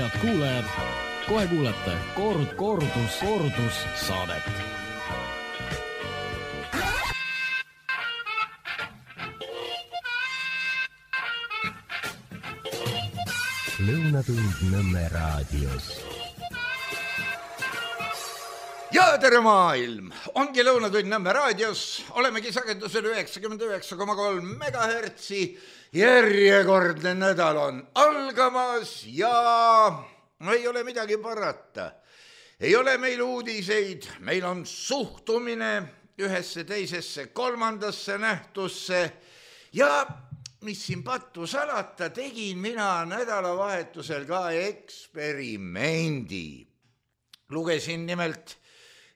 Head kuulajad, kohe kuulete kordus saadet. Lõunatund Nõmme raadios. Ja tere maailm! Ongi Lõunatund Nõmme raadios. Olemegi sagedusel 99,3 megahertsi. Järjekordne nädal on algamas ja ei ole midagi parata. Ei ole meil uudiseid, meil on suhtumine ühesse, teisesse, kolmandasse nähtusse ja mis siin pattu salata, tegin mina nädalavahetusel ka eksperimendi. Lugesin nimelt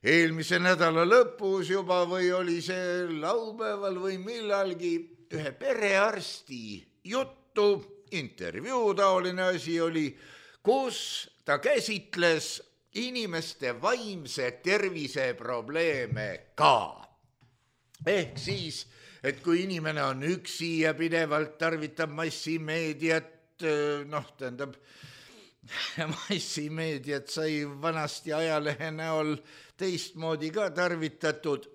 eelmise nädala lõpus juba või oli see laupäeval või millalgi ühe perearsti juttu, intervjuu taoline asi oli, kus ta käsitles inimeste vaimse tervise probleeme ka. Ehk siis, et kui inimene on üksi ja pidevalt tarvitab massimeediat, massimeediat sai vanasti ajalehe näol teistmoodi ka tarvitatud.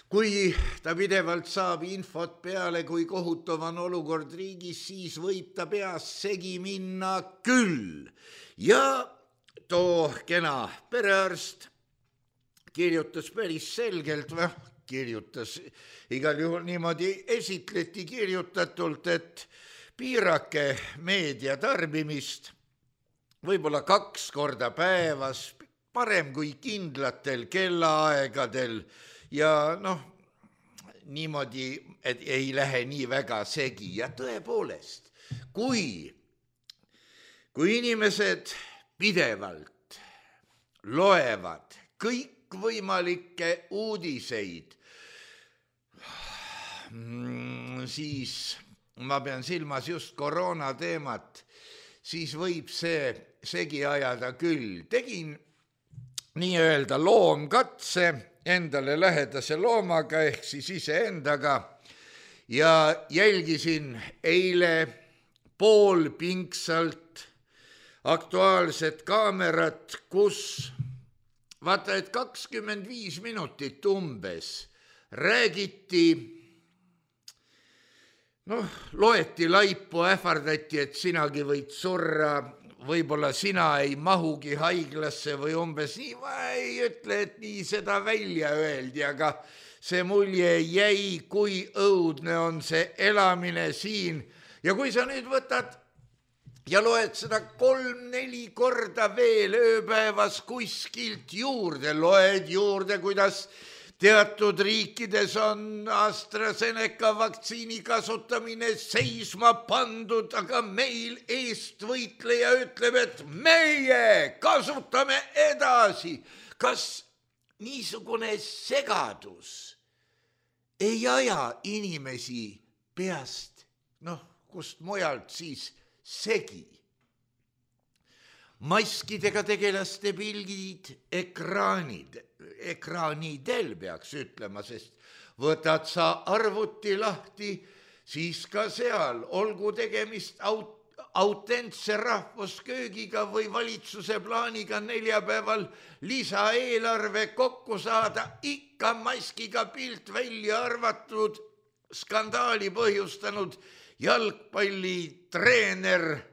Kui ta pidevalt saab infot peale, kui kohutav on olukord riigis, siis võib ta peas segi minna küll. Ja too kena perearst kirjutas päris selgelt, kirjutas igal juhul niimoodi esitleti kirjutatult, et piirake meedia tarbimist võib-olla 2 korda päevas, parem kui kindlatel kellaaegadel ja niimoodi, et ei lähe nii väga segi. Ja tõepoolest, kui inimesed pidevalt loevad kõikvõimalikke uudiseid, siis ma pean silmas just koroona teemat, siis võib see segi ajada küll. Tegin nii-öelda loomkatse endale lähedase loomaga ehk siis iseendaga ja jälgisin eile poolpingsalt Aktuaalset kaamerat, kus vaata, et 25 minutit umbes räägiti, loeti laipu, ähvardati, et sinagi võid surra, võib-olla sina ei mahugi haiglasse või umbes nii, ma ei ütle, et nii seda välja öeldi, aga see mulje jäi, kui õudne on see elamine siin. Ja kui sa nüüd võtad ja loed seda 3-4 korda veel ööpäevas kuskilt juurde, loed juurde, kuidas teatud riikides on AstraZeneca vaktsiini kasutamine seisma pandud, aga meil eestvõitleja ütleb, et meie kasutame edasi. Kas niisugune segadus ei aja inimesi peast, kust mujalt siis segi? Maskidega tegelaste pildid, ekraanidel peaks ütlema, sest võtad sa arvuti lahti, siis ka seal olgu tegemist autentse rahvusköögiga või valitsuse plaaniga neljapäeval lisaeelarve kokku saada, ikka maskiga pilt välja arvatud, skandaali põhjustanud jalgpallitreener,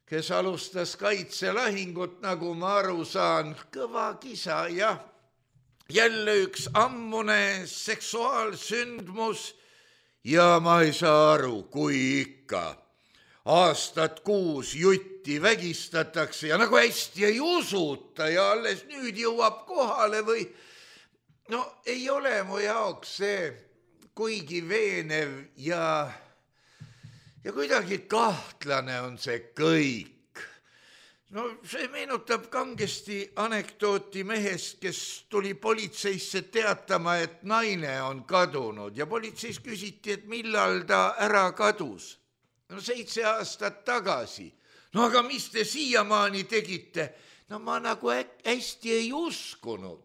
kes alustas kaitselahingut, nagu ma aru saan, kõva kisa ja jälle üks ammune seksuaalsündmus ja ma ei saa aru, kui ikka aastat 6 jutti vägistatakse ja nagu hästi ei usuta ja alles nüüd jõuab kohale või ei ole mu jaoks see kuigi veenev ja kuidagi kahtlane on see kõik. See meenutab kangesti anekdooti mehest, kes tuli politseisse teatama, et naine on kadunud ja politseis küsiti, et millal ta ära kadus. 7 aastat tagasi. Aga mis te siiamaani tegite? Ma nagu hästi ei uskunud.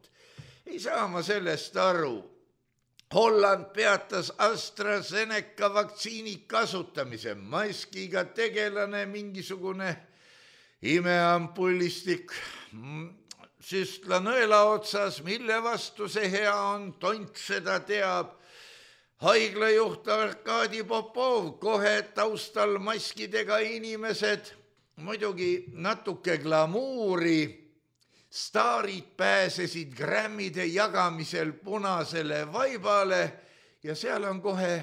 Ei saa ma sellest aru. Holland peatas AstraZeneca vaktsiini kasutamise, maskiga tegelane, mingisugune imeampullistik, süstla nõela otsas, mille vastu see hea on, tont seda teab. Haiglajuht Arkadi Popov, kohe taustal maskidega inimesed, muidugi natuke glamuuri, staarid pääsesid grammide jagamisel punasele vaibale ja seal on kohe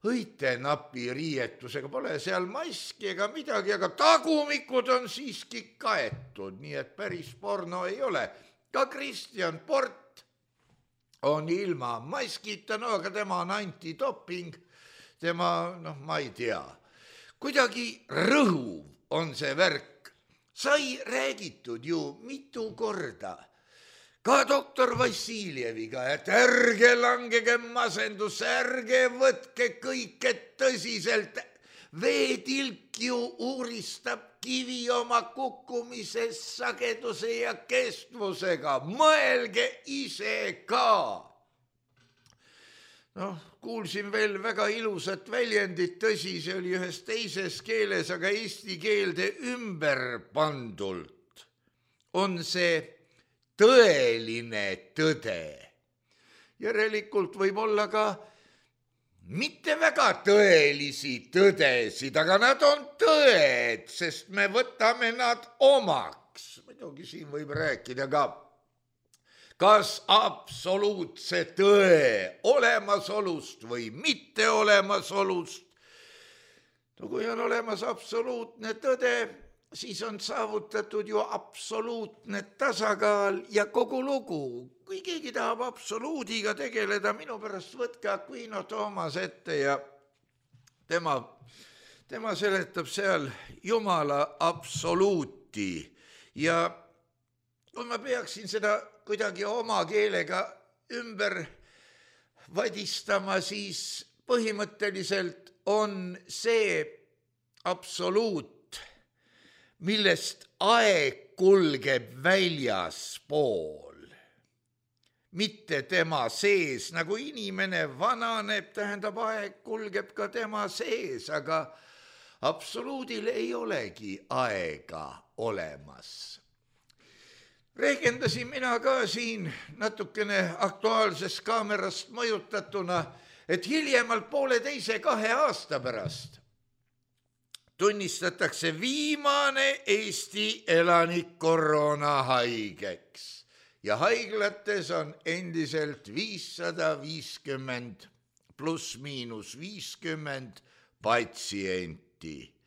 õitenapi riietusega, pole seal maski ega midagi, aga tagumikud on siiski kaetud, nii et päris porno ei ole. Ka Kristjan Port on ilma maskita, no aga tema on antidoping, tema, ma ei tea, kuidagi rõhuv on see värk. Sai räägitud ju mitu korda, ka doktor Vassiljeviga, et ärge langege masendusse, ärge võtke kõike tõsiselt. Veetilk ju uuristab kivi oma kukkumise sageduse ja kestvusega, mõelge ise ka. Kuulsin veel väga ilusat väljendit, tõsi, see oli ühes teises keeles, aga eesti keelde ümber pandult on see tõeline tõde. Järelikult võib olla ka mitte väga tõelisi tõdesid, aga nad on tõed, sest me võtame nad omaks. Muidugi siin võib rääkida ka kas absoluutse tõe olemasolust või mitte olemasolust. Kui on olemas absoluutne tõde, siis on saavutatud ju absoluutne tasakaal ja kogu lugu. Kui keegi tahab absoluudiga tegeleda, minu pärast võtke Aquino Toomas ette ja tema seletab seal Jumala absoluuti. Ja kui ma peaksin seda kuidagi oma keelega ümber vadistama, siis põhimõtteliselt on see absoluut, millest aeg kulgeb väljaspool, mitte tema sees. Nagu inimene vananeb, tähendab aeg kulgeb ka tema sees, aga absoluudil ei olegi aega olemas. Rehkendasin mina ka siin natukene Aktuaalsest kaamerast mõjutatuna, et hiljemalt 1,5–2 aasta pärast tunnistatakse viimane Eesti elanik koroonahaigeks ja haiglates on endiselt 550 pluss-miinus 50 patsienti.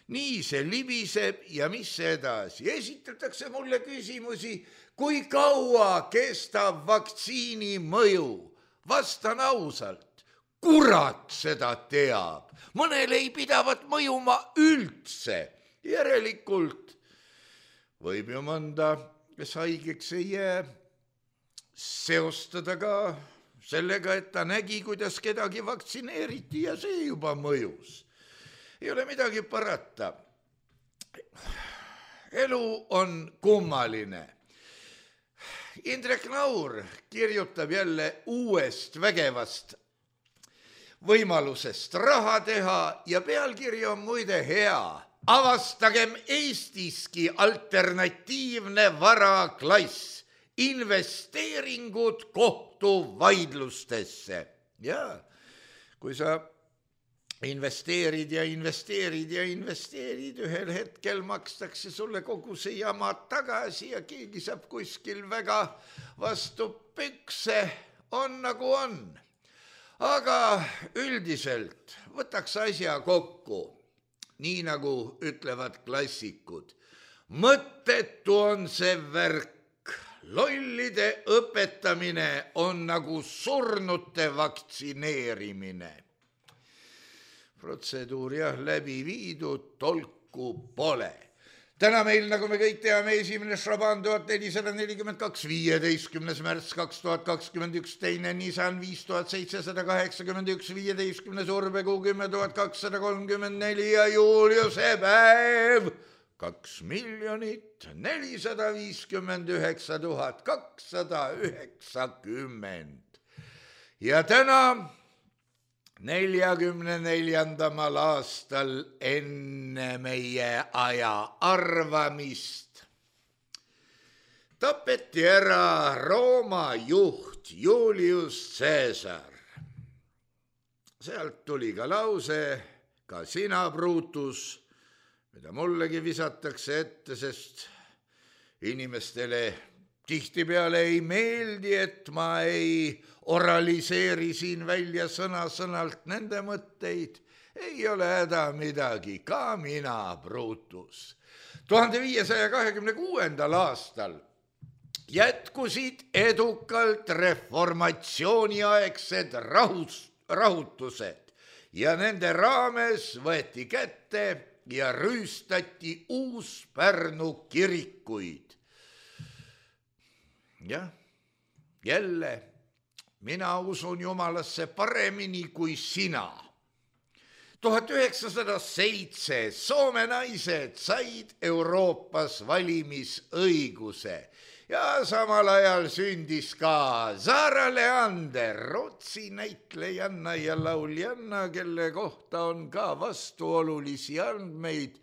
Nii see libiseb ja mis edasi? Esitatakse mulle küsimusi, kui kaua kestab vaktsiini mõju. Vastan ausalt, kurat seda teab. Mõnel ei pidavat mõjuma üldse. Järelikult võib ju mõnda, kes haigeks ei jää, seostada ka sellega, et ta nägi, kuidas kedagi vaktsineeriti ja see juba mõjus. Ei ole midagi parata. Elu on kummaline. Indrek Naur kirjutab jälle uuest vägevast võimalusest raha teha ja pealkiri on muide hea. Avastagem Eestiski alternatiivne varaklass, investeeringud kohtuvaidlustesse. Ja kui sa investeerid ja investeerid ja investeerid, ühel hetkel makstakse sulle kogu see jama tagasi ja keegi saab kuskil väga vastu pükse, on nagu on. Aga üldiselt võtaks asja kokku, nii nagu ütlevad klassikud. Mõttetu on see värk, lollide õpetamine on nagu surnute vaktsineerimine. Protseduur läbi viidud, tolku pole. Täna meil, nagu me kõik teame, esimene Šaban 1442, 15. märts 2021, teine Nisan 5781, 15. Urbekuu 10 234 ja Juliuse päev 2 459 290. ja täna 44. aastal enne meie aja arvamist tapeti ära Rooma juht Julius Caesar. Sealt tuli ka lause, ka sina, Brutus, mida mullegi visatakse ette, sest inimestele tihtipeale ei meeldi, et ma ei oraliseeri siin välja sõna-sõnalt nende mõtteid. Ei ole häda midagi, ka mina, Brutus. 1526. aastal jätkusid edukalt reformatsiooniaegsed rahutused ja nende raames võeti kätte ja rüüstati Uus-Pärnu kirikuid. Jah, jälle, mina usun Jumalasse paremini kui sina. 1907 Soome naised said Euroopas valimisõiguse ja samal ajal sündis ka Sara Leander, Rootsi näitlejanna ja lauljanna, kelle kohta on ka vastuolulisi andmeid.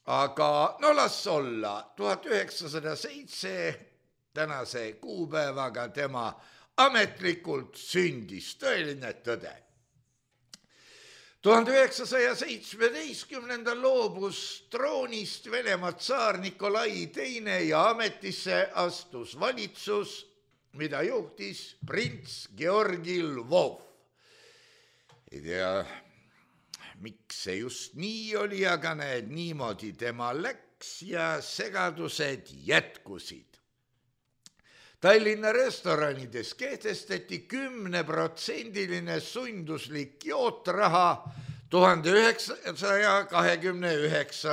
Aga no las olla, 1907 tänase kuupäevaga tema ametlikult sündis, tõeline tõde. 1917 loobus troonist Venemaa tsaar Nikolai II ja ametisse astus valitsus, mida juhtis prints Georgi Lvov. Ei tea, miks see just nii oli, aga näed, niimoodi tema läks ja segadused jätkusid. Tallinna restoranides kehtestati 10% sunduslik jootraha 1929.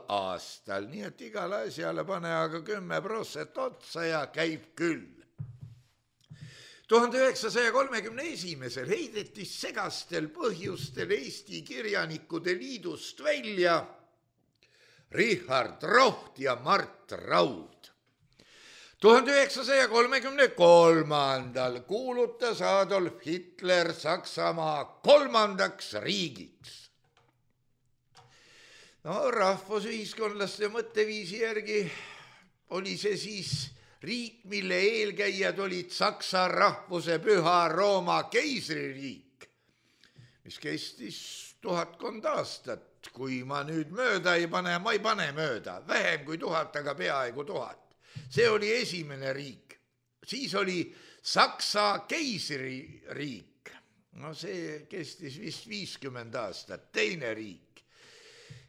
aastal, nii et igale asjale pane aga 10% otsa ja käib küll. 1931. heideti segastel põhjustel Eesti Kirjanikude Liidust välja Richard Roht ja Mart Raud. 1933. kuulutas Adolf Hitler Saksamaa kolmandaks riigiks. No rahvusühiskondlaste mõtteviisi järgi oli see siis riik, mille eelkäijad olid Saksa rahvuse püha Rooma keisririik, mis kestis 1000 aastat. Kui ma nüüd mööda ei pane, ma ei pane mööda, vähem kui 1000, aga peaaegu 1000. See oli esimene riik, siis oli Saksa keisririik, no see kestis vist 50 aastat, teine riik.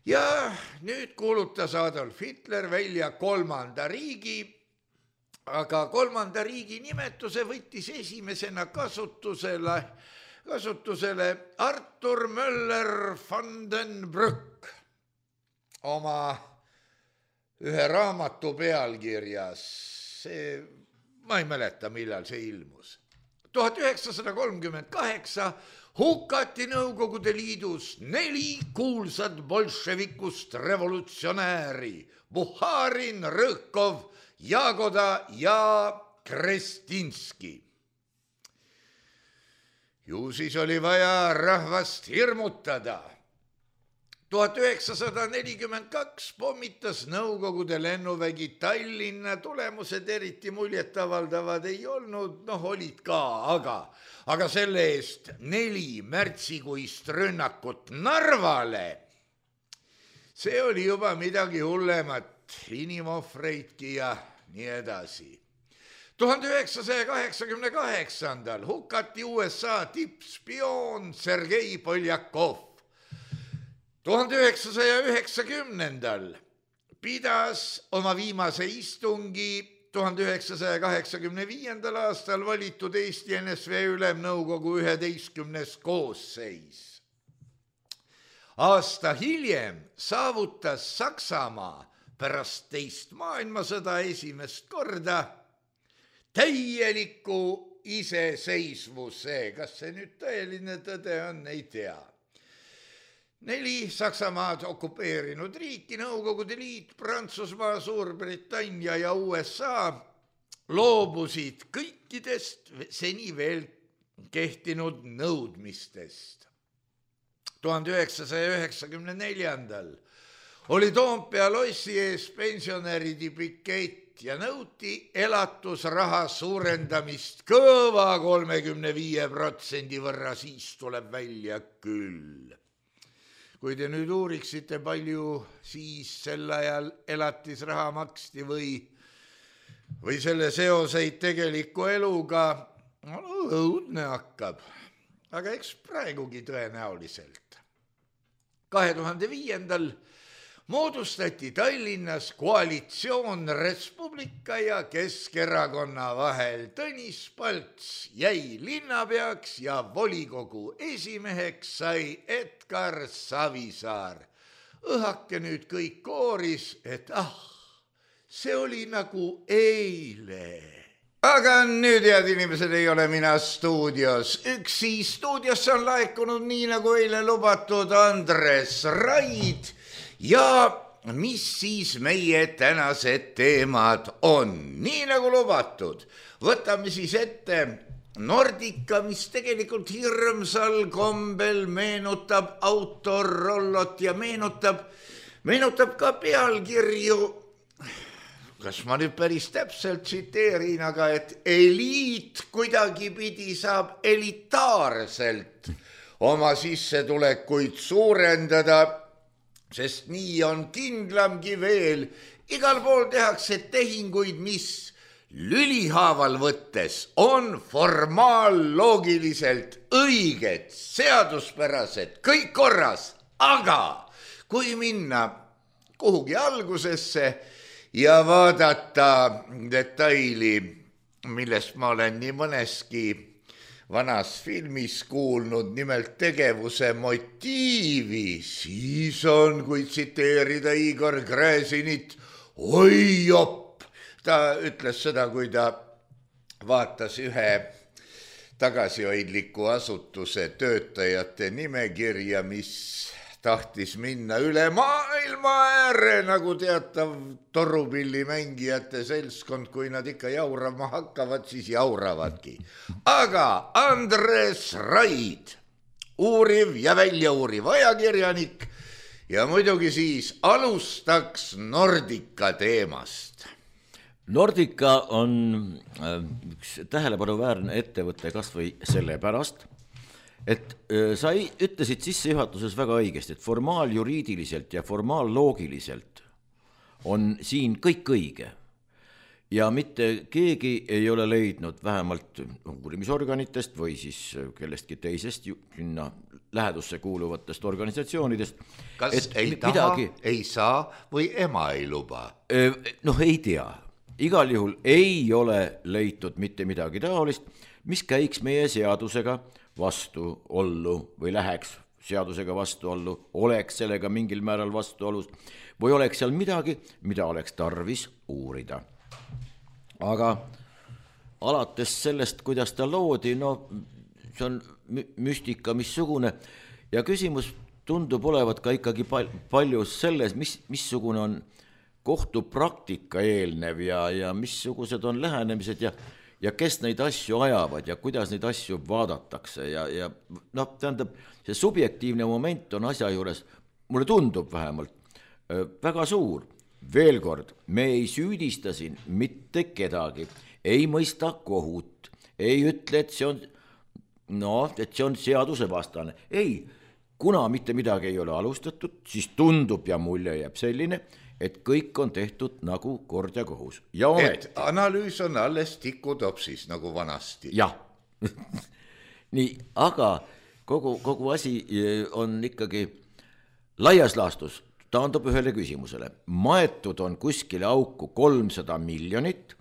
Ja nüüd kuulutas Adolf Hitler välja kolmanda riigi, aga kolmanda riigi nimetuse võttis esimesena kasutusele Arthur Möller van den Brück oma ühe raamatu pealkirjas, ma ei mäleta, millal see ilmus. 1938 hukati Nõukogude Liidus 4 kuulsat bolševikust revolutsionääri, Buharin, Rõhkov, Jagoda ja Krestinski. Ju siis oli vaja rahvast hirmutada. 1942 pommitas Nõukogude lennuvägi Tallinna, tulemused eriti muljetavaldavad ei olnud, olid ka, aga selle eest 4 märtsikuist rünnakut Narvale, see oli juba midagi hullemat, inimohvreidki ja nii edasi. 1988 hukati USA tippspioon Sergei Poljakov. 1990 pidas oma viimase istungi 1985. aastal valitud Eesti NSV Ülemnõukogu 11. koosseis. Aasta hiljem saavutas Saksamaa pärast teist maailmasõda esimest korda täieliku iseseisvuse. Kas see nüüd tõeline tõde on, ei tea. 4 Saksamaad okupeerinud riiki, Nõukogude Liit, Prantsusmaa, Suurbritannia ja USA loobusid kõikidest seni veel kehtinud nõudmistest. 1994. oli Toompea lossi ees pensionäride pikett ja nõuti elatusraha suurendamist kõva 35% võrra, siis tuleb välja küll. Kui te nüüd uuriksite, palju siis sel ajal elatisraha maksti või selle seoseid tegeliku eluga, õudne hakkab, aga eks praegugi tõenäoliselt. 2005. moodustati Tallinnas koalitsioon Res Publica ja Keskerakonna vahel. Tõnis Palts jäi linnapeaks ja volikogu esimeheks sai Edgar Savisaar. Õhake nüüd kõik kooris, et see oli nagu eile. Aga nüüd, head inimesed, ei ole mina stuudios. Üksi stuudiosse on laekunud nii nagu eile lubatud Andres Raid. Ja mis siis meie tänased teemad on? Nii nagu lubatud, võtame siis ette Nordica, mis tegelikult hirmsal kombel meenutab Autorollot ja meenutab ka pealkirju. Kas ma nüüd päris täpselt tsiteerin, aga et eliit kuidagipidi saab elitaarselt oma sissetulekuid suurendada, sest nii on kindlamgi veel. Igal pool tehakse tehinguid, mis lülihaaval võttes on formaalloogiliselt õiged, seaduspärased, kõik korras, aga kui minna kuhugi algusesse ja vaadata detaili, millest ma olen nii mõneski vanas filmis kuulnud, nimelt tegevuse motiivi, siis on, kui tsiteerida Igor Gräzinit, oi jopp, ta ütles seda, kui ta vaatas ühe tagasihoidliku asutuse töötajate nimekirja, mis tahtis minna üle maailma ääre, nagu teatav torupillimängijate seltskond, kui nad ikka jaurama hakkavad, siis jauravadki. Aga Andres Raid, uuriv ja väljauuriv ajakirjanik ja muidugi siis alustaks Nordica teemast. Nordica on üks tähelepanuväärne ettevõte kas või sellepärast, et sa ütlesid sissejuhatuses väga õigesti, et formaaljuriidiliselt ja formaalloogiliselt on siin kõik õige ja mitte keegi ei ole leidnud vähemalt uurimisorganitest või siis kellestki teisest sinna lähedusse kuuluvatest organisatsioonidest. Kas ei taha, ei saa või ema ei luba? Noh, ei tea. Igal juhul ei ole leitud mitte midagi taolist, mis käiks meie seadusega vastuollu või läheks seadusega vastuollu, oleks sellega mingil määral vastuolus või oleks seal midagi, mida oleks tarvis uurida. Aga alates sellest, kuidas ta loodi, see on müstika missugune ja küsimus tundub olevat ka ikkagi palju selles, missugune on kohtupraktika eelnev ja missugused on lähenemised ja kes neid asju ajavad ja kuidas neid asju vaadatakse ja tähendab, see subjektiivne moment on asja juures, mulle tundub vähemalt, väga suur. Veel kord, me ei süüdista siin mitte kedagi, ei mõista kohut, ei ütle, et see on seadusevastane. Ei, kuna mitte midagi ei ole alustatud, siis tundub ja mulje jääb selline, et kõik on tehtud nagu kord ja kohus. Et analüüs on alles tikutopsis nagu vanasti. Jah. Nii, aga kogu asi on ikkagi laias laastus, taandub ühele küsimusele. Maetud on kuskile auku 300 miljonit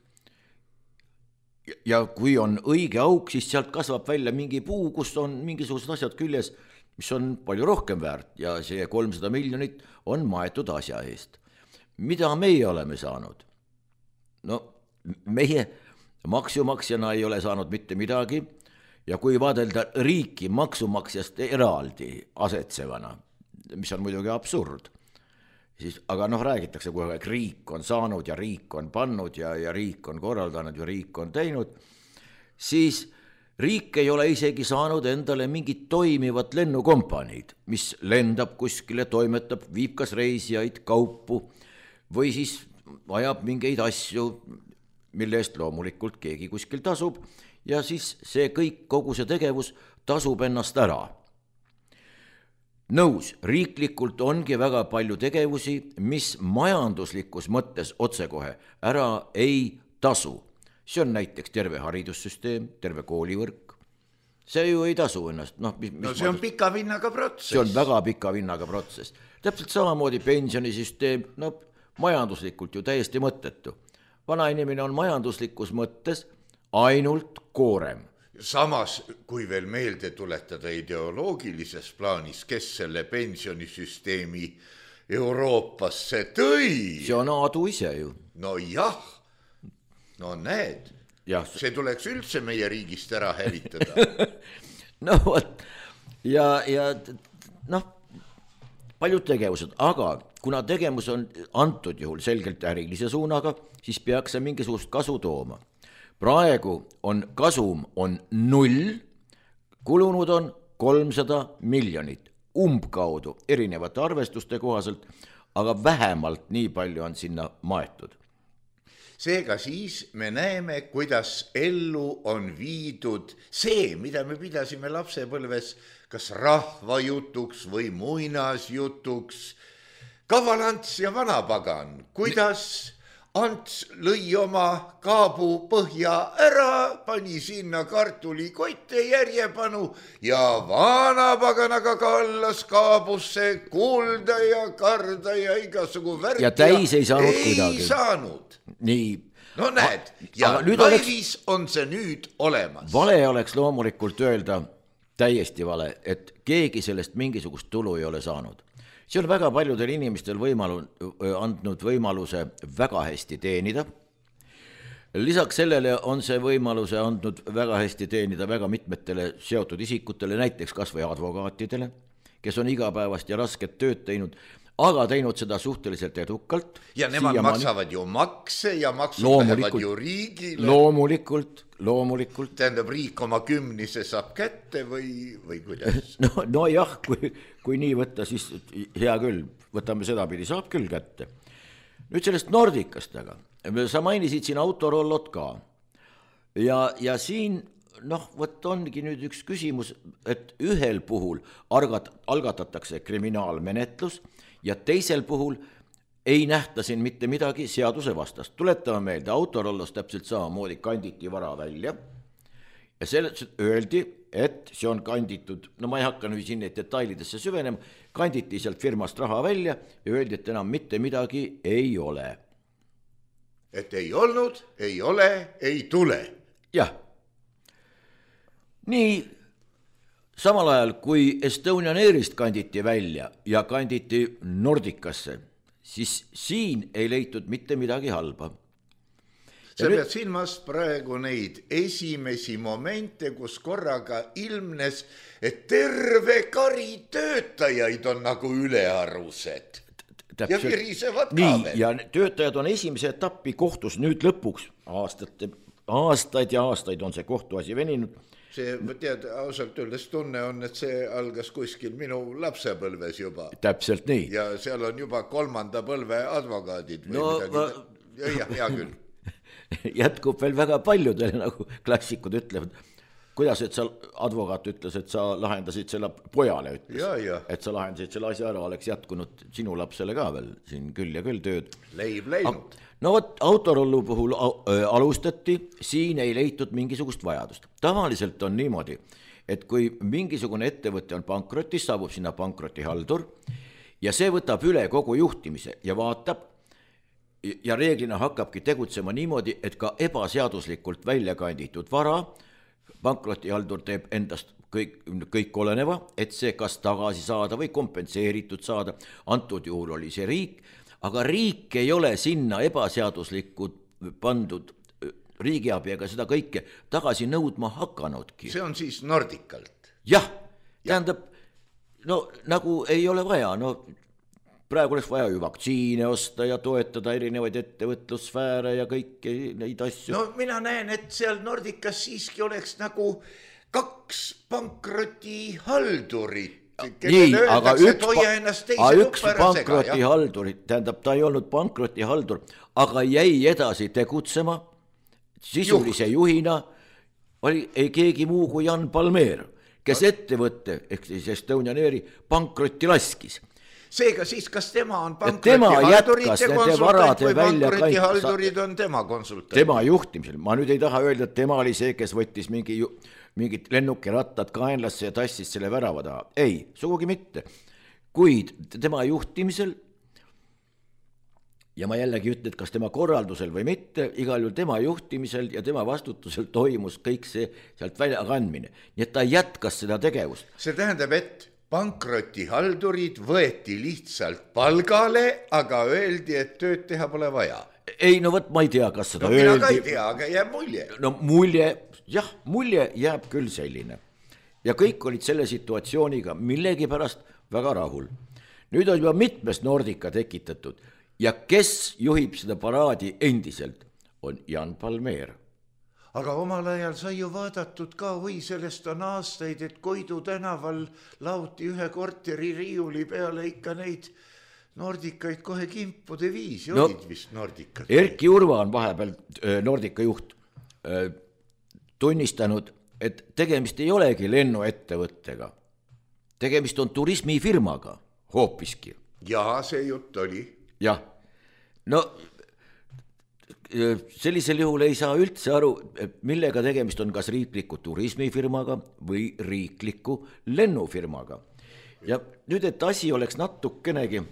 ja kui on õige auk, siis sealt kasvab välja mingi puu, kus on mingisugused asjad küljes, mis on palju rohkem väärt ja see 300 miljonit on maetud asja eest. Mida meie oleme saanud? Meie maksumaksjana ei ole saanud mitte midagi ja kui vaadelda riiki maksumaksjast eraldi asetsevana, mis on muidugi absurd, siis, aga räägitakse kogu aeg, riik on saanud ja riik on pannud ja riik on korraldanud ja riik on teinud, siis riik ei ole isegi saanud endale mingit toimivat lennukompaniid, mis lendab kuskile, toimetab, viib kas reisijaid, kaupu või siis ajab mingeid asju, mille eest loomulikult keegi kuskil tasub ja siis see kõik, kogu see tegevus tasub ennast ära. Nõus, riiklikult ongi väga palju tegevusi, mis majanduslikus mõttes otsekohe ära ei tasu. See on näiteks terve haridussüsteem, terve koolivõrk. See ju ei tasu ennast. No see on pika vinnaga protsess. See on väga pika vinnaga protsess. Täpselt samamoodi pensionisüsteem, majanduslikult ju täiesti mõttetu. Vanainimene on majanduslikus mõttes ainult koorem. Samas, kui veel meelde tuletada ideoloogilises plaanis, kes selle pensionisüsteemi Euroopasse tõi. See on Aadu ise ju. No jah, no näed, see tuleks üldse meie riigist ära hävitada. No vot, ja paljud tegevused, aga kuna tegevus on antud juhul selgelt ärilise suunaga, siis peaks see mingisugust kasu tooma. Praegu on kasum on 0, kulunud on 300 miljonit, umbkaudu erinevate arvestuste kohaselt, aga vähemalt nii palju on sinna maetud. Seega siis me näeme, kuidas ellu on viidud see, mida me pidasime lapsepõlves kas rahvajutuks või muinasjutuks. Kaval Ants ja vanapagan, kuidas Ants lõi oma kaabu põhja ära, pani sinna kartulikotte järjepanu ja vanapaganaga kallas kaabusse kulda ja karda ja igasugu värk. Ja täis ei saanud kuidagi. Ei saanud. Nii. No näed, ja laivis on see nüüd olemas. Vale oleks loomulikult öelda, täiesti vale, et keegi sellest mingisugust tulu ei ole saanud. See on väga paljudel inimestel andnud võimaluse väga hästi teenida. Lisaks sellele on see võimaluse andnud väga hästi teenida väga mitmetele seotud isikutele, näiteks kas või advokaatidele, kes on igapäevast ja rasket tööd teinud, aga teinud seda suhteliselt edukalt. Ja nemad maksavad ju makse ja maksud lähevad ju riigile. Loomulikult. Tähendab, riik oma 10 saab kätte või kuidas? No jah, kui nii võtta, siis hea küll, võtame sedapidi, saab küll kätte. Nüüd sellest Nordicast aga. Sa mainisid siin autorollot ka. Ja siin, võt ongi nüüd üks küsimus, et ühel puhul algatatakse kriminaalmenetlus ja teisel puhul ei nähta siin mitte midagi seaduse vastast. Tuletame meelde, autorollos täpselt samamoodi kanditi vara välja ja sellest öeldi, et see on kanditud, ma ei hakka nüüd siin neid detailidesse süvenema, kanditi sealt firmast raha välja ja öeldi, et enam mitte midagi ei ole. Et ei olnud, ei ole, ei tule. Jah. Nii, samal ajal kui Estonian Airist kanditi välja ja kanditi Nordicasse, siis siin ei leitud mitte midagi halba. Sa pead silmas praegu neid esimesi momente, kus korraga ilmnes, et terve kari töötajaid on nagu ülearused. Ja virisevad ka veel. Ja töötajad on esimese etappi kohtus nüüd lõpuks. Aastaid ja aastaid on see kohtuasi veninud. See, tead, ausalt öeldes tunne on, et see algas kuskil minu lapsepõlves juba. Täpselt nii. Ja seal on juba 3. põlve advokaadid või midagi. Hea küll. Jätkub veel väga paljudele, nagu klassikud ütlevad. Kuidas, et sa advokaat ütles, et sa lahendasid selle pojale, ütles, et sa lahendasid selle asja ära, oleks jätkunud sinu lapsele ka veel siin küll ja küll tööd. Leib leinud. No võt, autorollu puhul alustati, siin ei leitud mingisugust vajadust. Tavaliselt on niimoodi, et kui mingisugune ettevõte on pankrotis, saabub sinna pankrotihaldur ja see võtab üle kogu juhtimise ja vaatab ja reeglina hakkabki tegutsema niimoodi, et ka ebaseaduslikult välja kanditud vara pankrotihaldur teeb endast kõik oleneva, et see kas tagasi saada või kompenseeritud saada. Antud juhul oli see riik, aga riik ei ole sinna ebaseaduslikud pandud riigiabi ega seda kõike tagasi nõudma hakanudki. See on siis Nordicalt? Jah, tähendab, nagu ei ole vaja, praegu oleks vaja ju vaktsiine osta ja toetada erinevaid ettevõtlussfääre ja kõiki neid asju. No mina näen, et seal Nordicas siiski oleks nagu 2 pankrotihaldurit, nii, aga üks pankrotihaldurit, tähendab, ta ei olnud pankrotihaldur, aga jäi edasi tegutsema sisulise juhina, ei keegi muu kui Jan Palmér, kes ettevõtte, ehk siis Estonian Airi pankrotti laskis. Seega siis, kas tema on pankrotihaldurite konsultant või pankrotihaldurid on tema konsultant? Tema juhtimisel, ma nüüd ei taha öelda, et tema oli see, kes võttis mingid lennukirattad kaenlasse ja tassis selle värava taha. Ei, sugugi mitte. Kuid tema juhtimisel, ja ma jällegi ütlen, et kas tema korraldusel või mitte, igal juhul tema juhtimisel ja tema vastutusel toimus kõik see sealt välja kandmine. Nii et ta jätkas seda tegevust. See tähendab, et pankrotihaldurid võeti lihtsalt palgale, aga öeldi, et tööd teha pole vaja. Ei, no võt, ma ei tea, kas seda öeldi. Mina ka ei tea, aga jääb mulje. No mulje jääb küll selline. Ja kõik olid selle situatsiooniga millegipärast väga rahul. Nüüd on juba mitmes Nordica tekitatud ja kes juhib seda paraadi endiselt, on Jan Palmér. Aga omal ajal sai ju vaadatud ka, sellest on aastaid, et Koidu tänaval lauti ühe korteri riiuli peale ikka neid Nordikaid kohe kimpude viisi, olid vist Nordikad. Erki Urva on vahepeal Nordica juht tunnistanud, et tegemist ei olegi lennuettevõttega. Tegemist on turismifirmaga hoopiski. Jaa, see jutt oli. Jah, no sellisel juhul ei saa üldse aru, millega tegemist on, kas riikliku turismifirmaga või riikliku lennufirmaga. Ja nüüd, et asi oleks natukenegi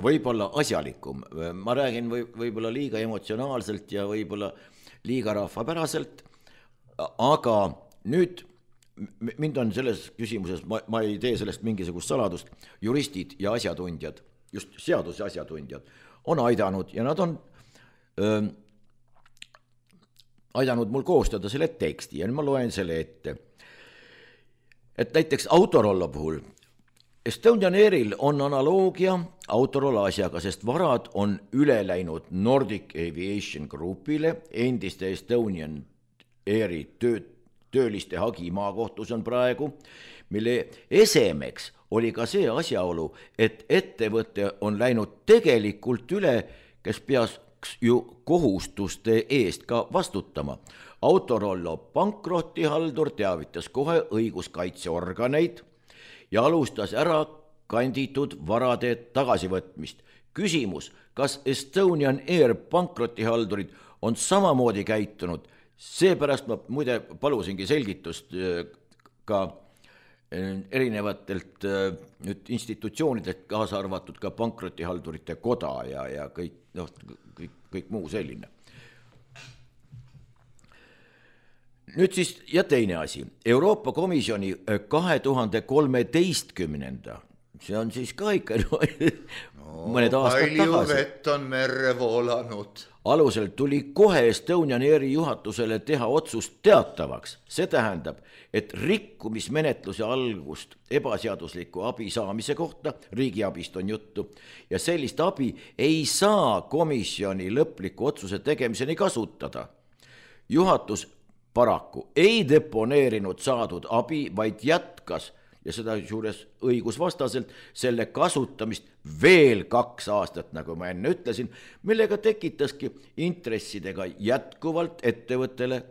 võib-olla asjalikum, ma räägin võib-olla liiga emotsionaalselt ja võib-olla liiga rahvapäraselt, aga nüüd mind on selles küsimuses, ma ei tee sellest mingisugust saladust, juristid ja asjatundjad, just seaduse asjatundjad, on aidanud ja nad on aidanud mul koostada selle teksti ja nüüd ma loen selle ette. Et näiteks Autorollo puhul Estonian Airil on analoogia Autorollo asjaga, sest varad on üle läinud Nordic Aviation Groupile, endiste Estonian Airi tööliste hagi maakohtus on praegu, mille esemeks oli ka see asjaolu, et ettevõte on läinud tegelikult üle, kes peaks ju kohustuste eest ka vastutama. Autorollo pankrotihaldur teavitas kohe õiguskaitseorganeid ja alustas ära kanditud varade tagasivõtmist. Küsimus, kas Estonian Air pankrotihaldurid on samamoodi käitunud, seepärast ma muide palusingi selgitust ka erinevatelt institutsioonidelt, kaasa arvatud ka pankrotihaldurite koda ja kõik muu selline. Nüüd siis ja teine asi, Euroopa Komisjoni 2013, see on siis ka ikka mõned aastad tagasi. Vett on merre voolanud. Alusel tuli kohe Estonian Airi juhatusele teha otsust teatavaks. See tähendab, et rikkumismenetluse algust ebaseadusliku abi saamise kohta, riigiabist on juttu, ja sellist abi ei saa komisjoni lõpliku otsuse tegemiseni kasutada. Juhatus paraku ei deponeerinud saadud abi, vaid jätkas ja seda juures õigusvastaselt selle kasutamist veel 2 aastat, nagu ma enne ütlesin, millega tekitaski intressidega jätkuvalt ettevõttele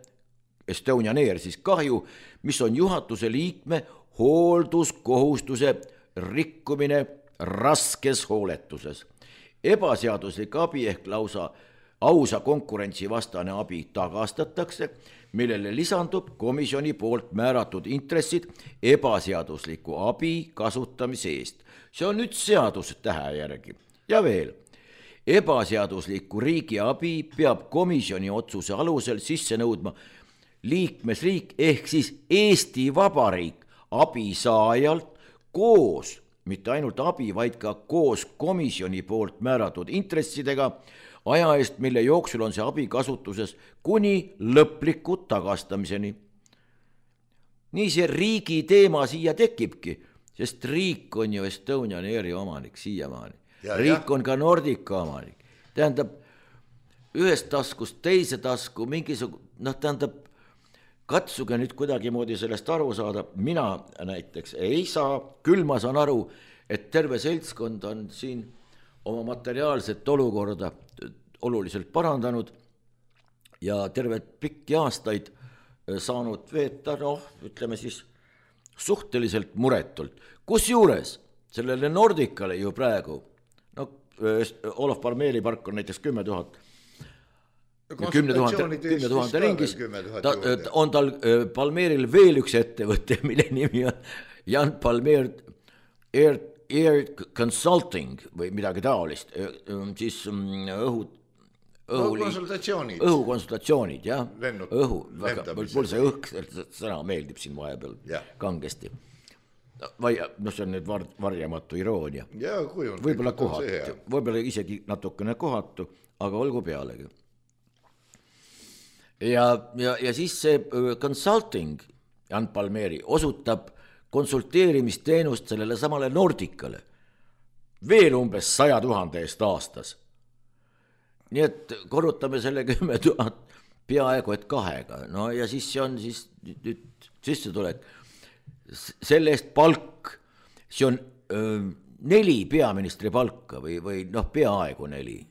Estonian Air siis kahju, mis on juhatuse liikme hoolduskohustuse rikkumine raskes hooletuses. Ebaseaduslik abi ehk lausa ausa konkurentsivastane abi tagastatakse, millele lisandub komisjoni poolt määratud intressid ebaseadusliku abi kasutamise eest. See on nüüd seadus tähe järgi. Ja veel, ebaseadusliku riigi abi peab komisjoni otsuse alusel sisse nõudma liikmesriik ehk siis Eesti Vabariik abisaajalt koos, mitte ainult abi, vaid ka koos komisjoni poolt määratud intressidega, aja eest, mille jooksul on see abi kasutuses kuni lõpliku tagastamiseni. Nii see riigi teema siia tekibki, sest riik on ju Estonian Airi omanik siiamaani. Riik on ka Nordica omanik. Tähendab, ühest taskust teise tasku mingisugune, tähendab, katsuge nüüd kuidagimoodi sellest aru saada, mina näiteks ei saa, küll ma saan aru, et terve seltskond on siin oma materiaalset olukorda oluliselt parandanud ja terve pikki aastaid saanud veeta, ütleme siis suhteliselt muretult. Kusjuures sellele Nordicale ju praegu, Olof Palmeri park on näiteks 10 000 ringis, on tal Palmeril veel üks ettevõte, mille nimi on Jan Palmer Air Consulting või midagi taolist, siis õhukonsultatsioonid, jah, mul see sõna meeldib siin vahepeal kangesti. See on nüüd varjamatu iroonia. Võib-olla kohatu, võib-olla isegi natukene kohatu, aga olgu pealegi. Ja siis see consulting, Jan Palmeri, osutab konsulteerimisteenust sellele samale Nordicale veel umbes 100 000 eest aastas. Nii et korrutame selle 10 000 peaaegu et 2-ga. No ja siis see on siis nüüd sissetulek. Selle eest palk, see on 4 peaministri palka või peaaegu 4,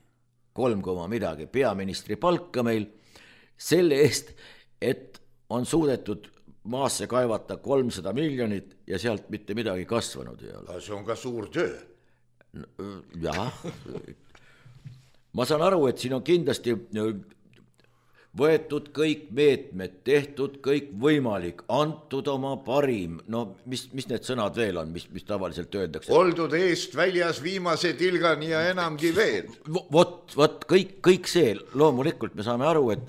3, midagi peaministri palka meil selle eest, et on suudetud maasse kaevata 300 miljonit ja sealt mitte midagi kasvanud ei ole. See on ka suur töö. Jah. Ma saan aru, et siin on kindlasti võetud kõik meetmed, tehtud kõik võimalik, antud oma parim, mis need sõnad veel on, mis tavaliselt öeldakse? Oldud eest väljas viimase tilgani ja enamgi veel. Vot, kõik see, loomulikult me saame aru, et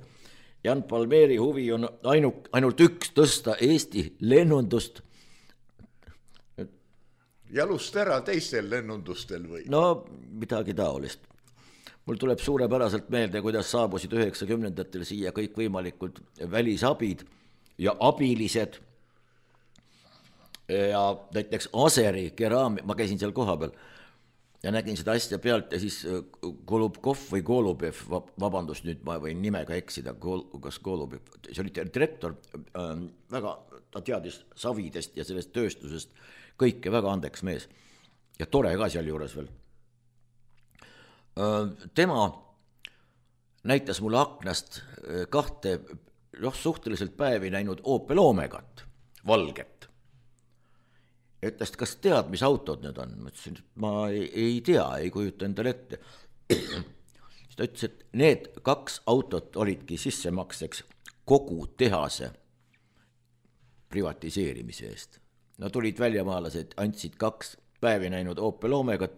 Jan Palmeri huvi on ainult üks tõsta Eesti lennundust. Jalust ära teistel lennundustel või? Midagi taolist. Mul tuleb suurepäraselt meelde, kuidas saabusid 90-ndatel siia kõik võimalikud välisabid ja abilised ja näiteks Aseri keraamik, ma käisin seal koha peal ja nägin seda asja pealt ja siis Golubkov või Golubev, vabandust, nüüd ma võin nimega eksida, kas Golubev, see oli direktor, väga, ta teadis savidest ja sellest tööstusest kõike, väga andeks mees ja tore ka seal juures veel. Tema näitas mulle aknast 2 suhteliselt päevi näinud Opel Omegat, valget. Ütles, kas tead, mis autod need on? Ma ütlesin, et ma ei tea, ei kujuta endale ette. Siis ta ütles, et need 2 autot olidki sissemakseks kogu tehase privatiseerimise eest. Tulid väljamaalased, andsid 2 päevi näinud Opel Omegat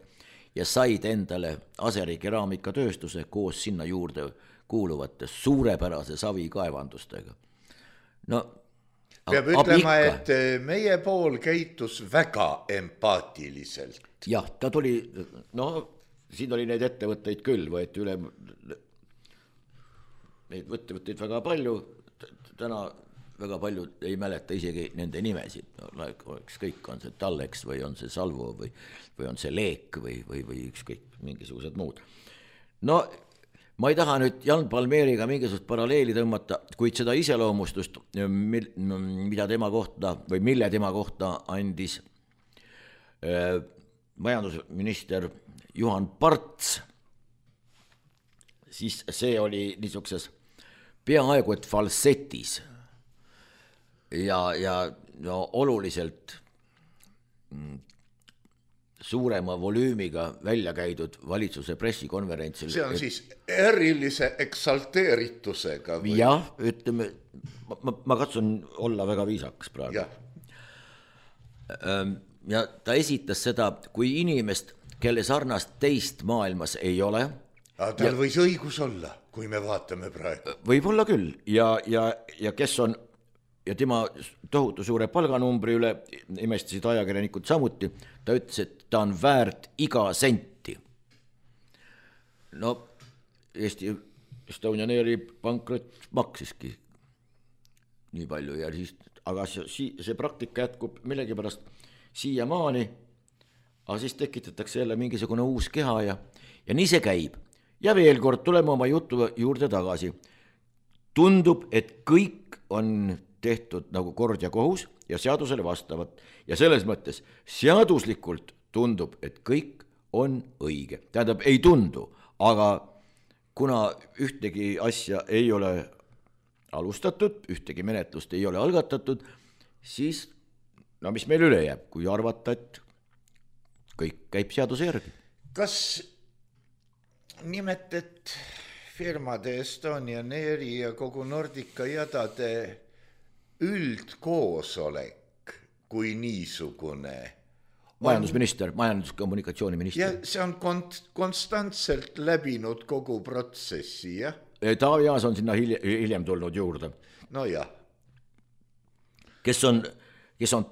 ja said endale Aseri keraamikatööstuse koos sinna juurde kuuluvate suurepärase savikaevandustega. Peab ütlema, et meie pool käitus väga empaatiliselt. Jah, ta tuli, siin oli neid ettevõtteid küll, võeti üle neid ettevõtteid väga palju, täna väga palju ei mäleta isegi nende nimesid, ükskõik on see Tallex või on see Salvo või on see Leek või ükskõik mingisugused muud. Ma ei taha nüüd Jan Palmeriga mingisugust paralleeli tõmmata, kuid seda iseloomustust, mida tema kohta või mille tema kohta andis majandusminister Juhan Parts, siis see oli niisuguses peaaegu et falsetis ja oluliselt suurema volüümiga välja käidud valitsuse pressikonverentsil. See on siis erilise eksalteeritusega või? Jah, ütleme, ma katsun olla väga viisakas praegu. Ja ta esitas seda kui inimest, kelle sarnast teist maailmas ei ole. Tal võis õigus olla, kui me vaatame praegu. Võib-olla küll ja kes on ja tema tohutu suure palganumbri üle imestasid ajakirjanikud samuti, ta ütles, et ta on väärt iga senti. Eesti Estonian Airi pankrot maksiski nii palju ja siis, aga see praktika jätkub millegipärast siiamaani, aga siis tekitatakse jälle mingisugune uus keha ja nii see käib. Ja veel kord tuleme oma jutu juurde tagasi. Tundub, et kõik on tehtud nagu kord ja kohus ja seadusele vastavad. Ja selles mõttes seaduslikult tundub, et kõik on õige. Tähendab, ei tundu, aga kuna ühtegi asja ei ole alustatud, ühtegi menetlust ei ole algatatud, siis no mis meil üle jääb, kui arvata, et kõik käib seaduse järgi. Kas nimetet firmade Estonian Airi ja kogu Nordica jadade üldkoosolek kui niisugune majandusminister, majandus-kommunikatsiooniminister. Ja see on konstantselt läbinud kogu protsessi, jah? Taavi Aas on sinna hiljem tulnud juurde. No jah. Kes on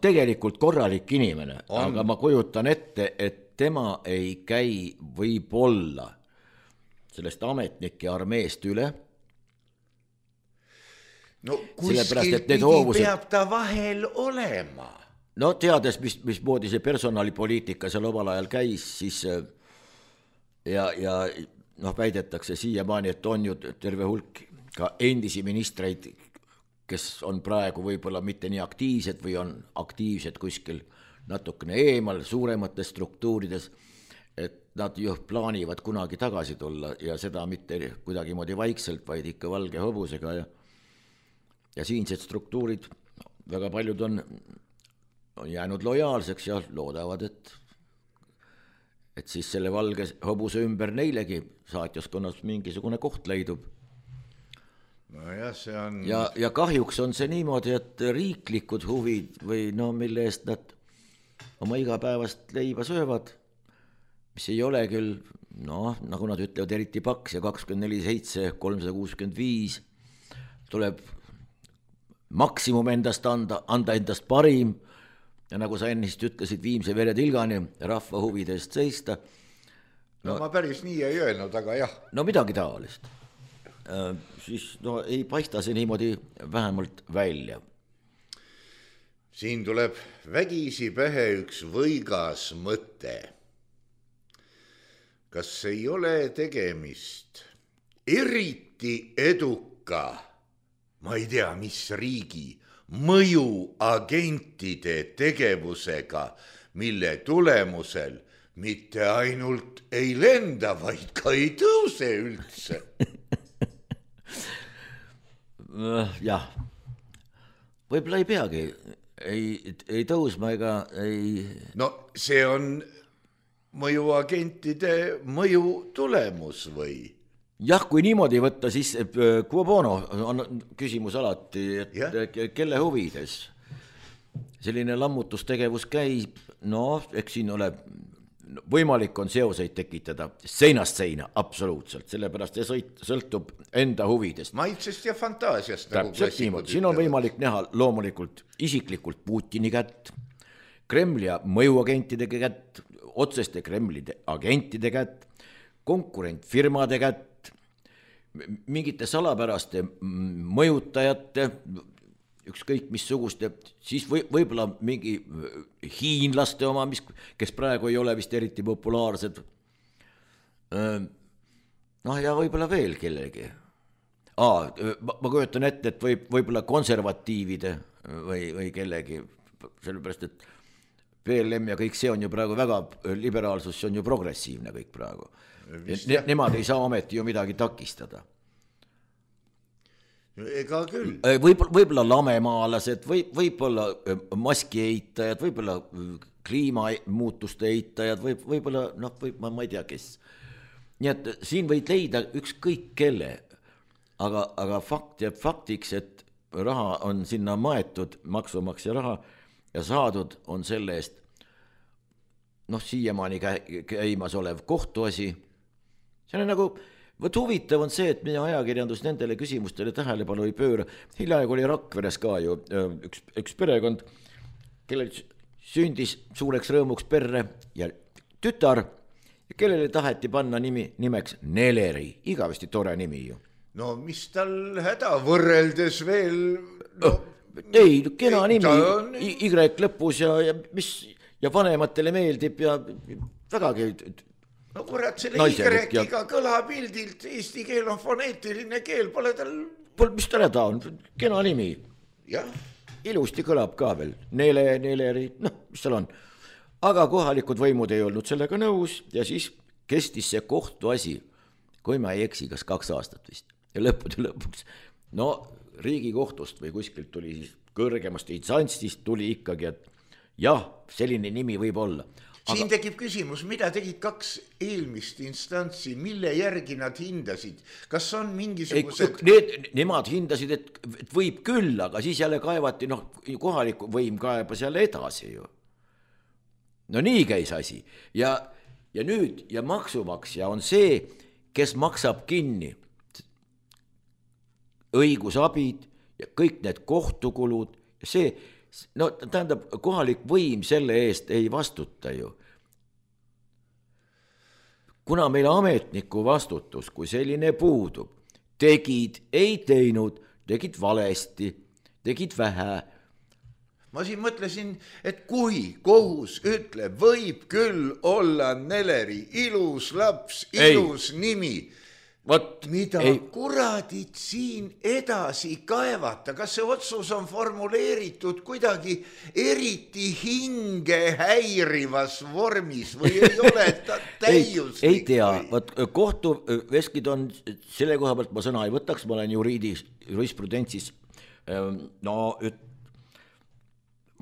tegelikult korralik inimene, aga ma kujutan ette, et tema ei käi võib-olla sellest ametnike armeest üle. No kuskilt pidi peab ta vahel olema. No teades, mismoodi see personalipoliitika seal omal ajal käis, siis ja väidetakse siiamaani, et on ju terve hulk ka endisi ministreid, kes on praegu võib-olla mitte nii aktiivsed või on aktiivsed kuskil natukene eemal suuremates struktuurides, et nad ju plaanivad kunagi tagasi tulla ja seda mitte kuidagi moodi vaikselt, vaid ikka valge hobusega ja siinsed struktuurid, väga paljud on jäänud lojaalseks ja loodavad, et siis selle valge hobuse ümber neilegi saatjaskonnas mingisugune koht leidub. No jah, see on... Ja kahjuks on see niimoodi, et riiklikud huvid või mille eest nad oma igapäevast leiba söövad, mis ei ole küll, nagu nad ütlevad, eriti paks ja 24/7, 365 tuleb maksimum endast anda endast parim ja nagu sa ennist ütlesid, viimse vere tilgani rahva huvidest seista. No ma päris nii ei öelnud, aga jah. No midagi taolist. Siis ei paista see niimoodi vähemalt välja. Siin tuleb vägisi pähe üks võigas mõte. Kas ei ole tegemist eriti eduka, ma ei tea, mis riigi mõjuagentide tegevusega, mille tulemusel mitte ainult ei lenda, vaid ka ei tõuse üldse. Jah, võib-olla ei peagi, ei tõusma ega ei... No see on mõjuagentide mõju tulemus või? Jah, kui niimoodi võtta, siis quo bono on küsimus alati, et kelle huvides selline lammutustegevus käib, eks siin ole võimalik on seoseid tekitada seinast seina, absoluutselt, sellepärast see sõltub enda huvidest. Maitsest ja fantaasiast. Täpselt niimoodi, siin on võimalik näha loomulikult isiklikult Putini kätt, Kremli mõjuagentide kätt, otseste Kremli agentide kätt, konkurentfirmade kätt, mingite salapäraste mõjutajate, ükskõik missuguste, siis võib-olla mingi hiinlaste oma, kes praegu ei ole vist eriti populaarsed. Ja võib-olla veel kellegi. Ma kujutan ette, et võib-olla konservatiivide või kellegi, sellepärast, et PLM ja kõik see on ju praegu väga, liberaalsus, see on ju progressiivne kõik praegu. Nemad ei saa ometi ju midagi takistada. Ega küll. Võib-olla lamemaalased, võib-olla maski eitajad, võib-olla kliimamuutuste eitajad, võib-olla, ma ei tea, kes. Nii et siin võid leida ükskõik kelle, aga fakt jääb faktiks, et raha on sinna maetud, maksumaksja raha, ja saadud on selle eest siiamaani käimas olev kohtuasi. See on nagu, huvitav on see, et meie ajakirjandus nendele küsimustele tähelepanu ei pööra. Hiljaaegu oli Rakveres ka ju üks perekond, kellel sündis suureks rõõmuks perre ja tütar, kellele taheti panna nimeks Neleri, igavesti tore nimi ju. No mis tal häda võrreldes veel... Ei, kena nimi, Y lõpus ja vanematele meeldib ja vägagi... No kurat, selle Y-iga kõlapildilt, eesti keel on foneetiline keel, pole tal... Mis tal häda on, kena nimi. jah. Ilusti kõlab ka veel, neleri, mis seal on. Aga kohalikud võimud ei olnud sellega nõus ja siis kestis see kohtuasi, kui ma ei eksi, kas 2 aastat vist. Ja lõppude lõpuks, Riigikohtust või kuskilt tuli siis kõrgemast instantsist tuli ikkagi, et jah, selline nimi võib olla. Siin tekib küsimus, mida tegid 2 eelmist instantsi, mille järgi nad hindasid? Kas on mingisugused... Nemad hindasid, et võib küll, aga siis jälle kaevati, kohaliku võim kaebas jälle edasi ju. No nii käis asi. Ja nüüd, ja maksumaksja on see, kes maksab kinni õigusabid ja kõik need kohtukulud ja see... tähendab, kohalik võim selle eest ei vastuta ju. Kuna meil ametniku vastutus, kui selline puudub, tegid, ei teinud, tegid valesti, tegid vähe. Ma siin mõtlesin, et kui kohus ütleb, võib küll olla Neleri ilus laps, ilus nimi, mida kuradid siin edasi kaevata, kas see otsus on formuleeritud kuidagi eriti hinge häirivas vormis või ei ole ta täiuslik? Ei tea, kohtuveskid on selle koha pealt, ma sõna ei võtaks, ma olen jurisprudentsis,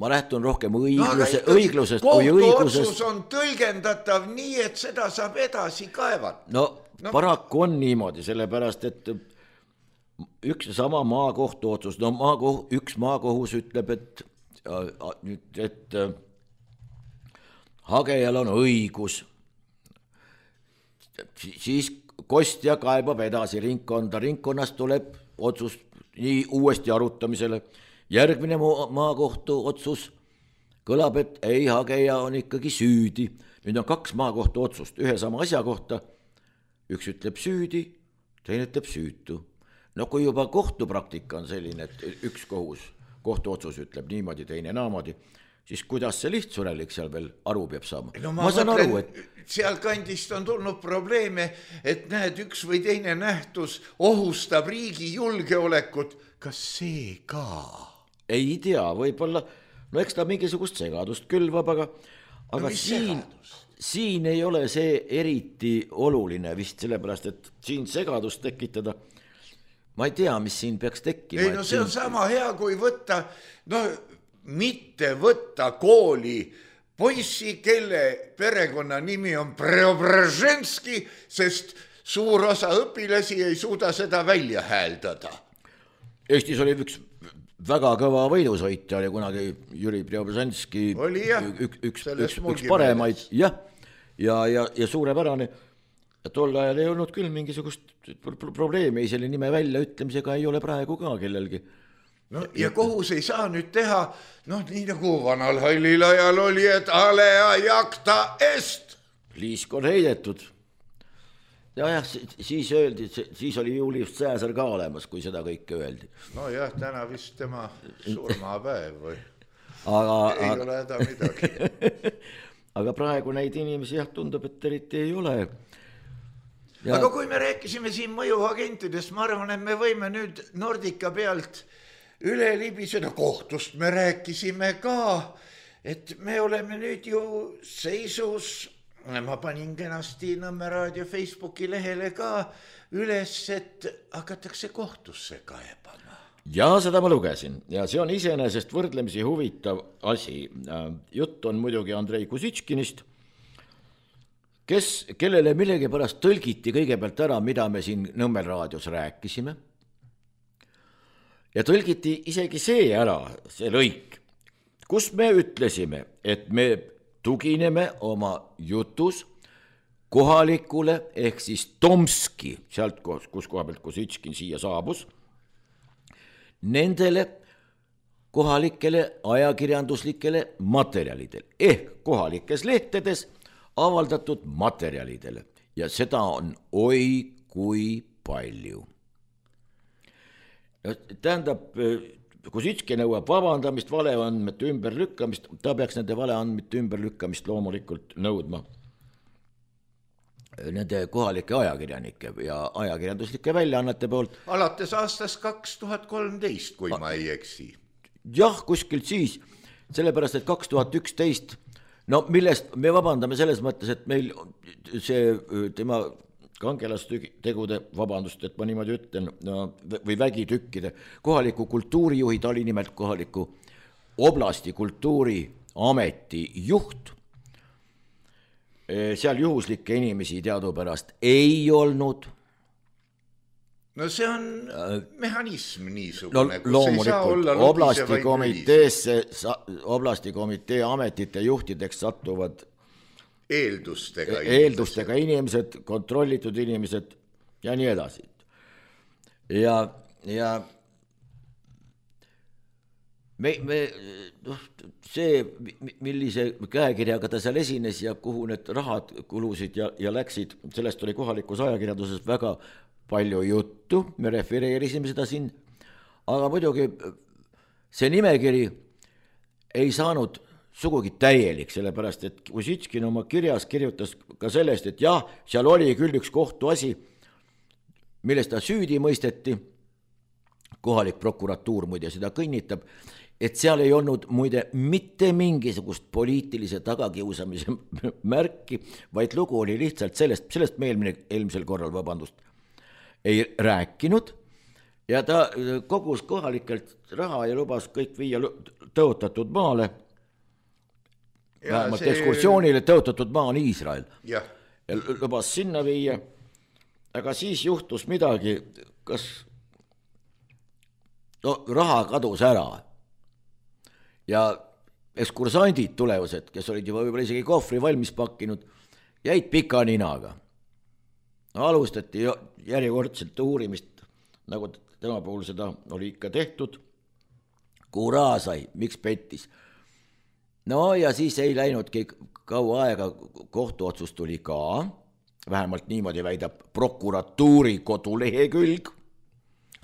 ma lähtun rohkem õiglusest kui õiglusest. Kohtuotsus on tõlgendatav nii, et seda saab edasi kaevata. Paraku on niimoodi, sellepärast, et üks ja sama maakohtu otsus, üks maakohus ütleb, et hagejal on õigus, siis kostja kaebab edasi ringkonda, ringkonnast tuleb otsus nii uuesti arutamisele, järgmine maakohtu otsus kõlab, et ei, hageja on ikkagi süüdi, nüüd on 2 maakohtu otsust ühe sama asja kohta, üks ütleb süüdi, teine ütleb süütu. Kui juba kohtupraktika on selline, et üks kohtuotsus ütleb niimoodi, teine naamodi, siis kuidas see lihtsurelik seal veel aru peab saama? Ma saan aru, et seal kandist on tulnud probleeme, et näed, üks või teine nähtus ohustab riigi julgeolekut. Kas see ka? Ei tea, võib-olla, eks ta mingisugust segadust külvab, aga siin ei ole see eriti oluline vist sellepärast, et siin segadust tekitada. Ma ei tea, mis siin peaks tekkima. Ei, see on sama hea, kui võtta, mitte võtta kooli poissi, kelle perekonna nimi on Preobraženski, sest suur osa õpilasi ei suuda seda välja hääldada. Eestis oli üks väga kõva võidusõitja, oli kunagi Jüri Preobraženski, üks paremaid, ja suurepärane. Ja tol ajal ei olnud küll mingisugust probleemi, selle nime välja ütlemisega ei ole praegu ka kellelgi. Ja kohus ei saa nüüd teha, nii nagu vanal hallil ajal oli, et alea jacta est. Liisk on heidetud. Ja siis öeldi, siis oli Julius Caesar ka olemas, kui seda kõike öeldi. Täna vist tema surmapäev või ei ole häda midagi. Aga praegu neid inimesi tundub, et eriti ei ole. Aga kui me rääkisime siin mõjuagentidest, ma arvan, et me võime nüüd Nordica pealt üle libiseda, kohtust me rääkisime ka, et me oleme nüüd ju seisus, ma panin kenasti Nõmme Raadio Facebooki lehele ka üles, et hakatakse kohtusse kaebama. Ja seda ma lugesin ja see on iseenesest võrdlemisi huvitav asi. Jutt on muidugi Andrei Kusitškinist, kellele millegi pärast tõlgiti kõigepealt ära, mida me siin Nõmmel raadios rääkisime. Ja tõlgiti isegi see ära, see lõik, kus me ütlesime, et me tugineme oma jutus kohalikule ehk siis Tomski, sealt kus koha pealt Kusitškin siia saabus, nendele kohalikele ajakirjanduslikele materjalidele ehk kohalikes lehtedes avaldatud materjalidele ja seda on oi kui palju. Tähendab, Kusitski nõuab vabandamist, valeandmete ümberlükkamist, ta peaks nende valeandmete ümberlükkamist loomulikult nõudma nende kohalike ajakirjanike ja ajakirjanduslike väljaannete poolt. Alates aastast 2013, kui ma ei eksi. jah, kuskilt siis, sellepärast, et 2011, no millest me vabandame selles mõttes, et meil see tema kangelastegude, vabandust, et ma niimoodi ütlen, no, või vägitükkide, kohaliku kultuurijuhi, ta oli nimelt kohaliku oblasti kultuuriameti juht, seal juhuslikke inimesi teadupärast ei olnud. No see on mehhanism niisugune, no, loomulikult oblasti komitee ametite juhtideks satuvad eeldustega inimesed, kontrollitud inimesed ja nii edasi. Ja see, millise käekirjaga ta seal esines ja kuhu need rahad kulusid ja läksid, sellest oli kohalikus ajakirjanduses väga palju juttu, me refereerisime seda siin, aga muidugi see nimekiri ei saanud sugugi täielik, sellepärast, et Kusitškin oma kirjas kirjutas ka sellest, et jah, seal oli küll üks kohtuasi, millest ta süüdi mõisteti, kohalik prokuratuur muide seda kinnitab, et seal ei olnud muide mitte mingisugust poliitilise tagakiusamise märki, vaid lugu oli lihtsalt sellest me eelmisel korral, vabandust, ei rääkinud ja ta kogus kohalikelt raha ja lubas kõik viia tõotatud maale, vähemalt ekskursioonile tõotatud maa on Iisrael. Ja lubas sinna viia, aga siis juhtus midagi, kas raha kadus ära ja ekskursandid tulevused, kes olid juba võib-olla isegi kohvri valmis pakkinud, jäid pika ninaga. Alustati järjekordselt uurimist, nagu tema puhul seda oli ikka tehtud, kuhu raha sai, miks pettis. No ja siis ei läinudki kaua aega, kohtuotsus tuli ka, vähemalt niimoodi väidab prokuratuuri kodulehekülg,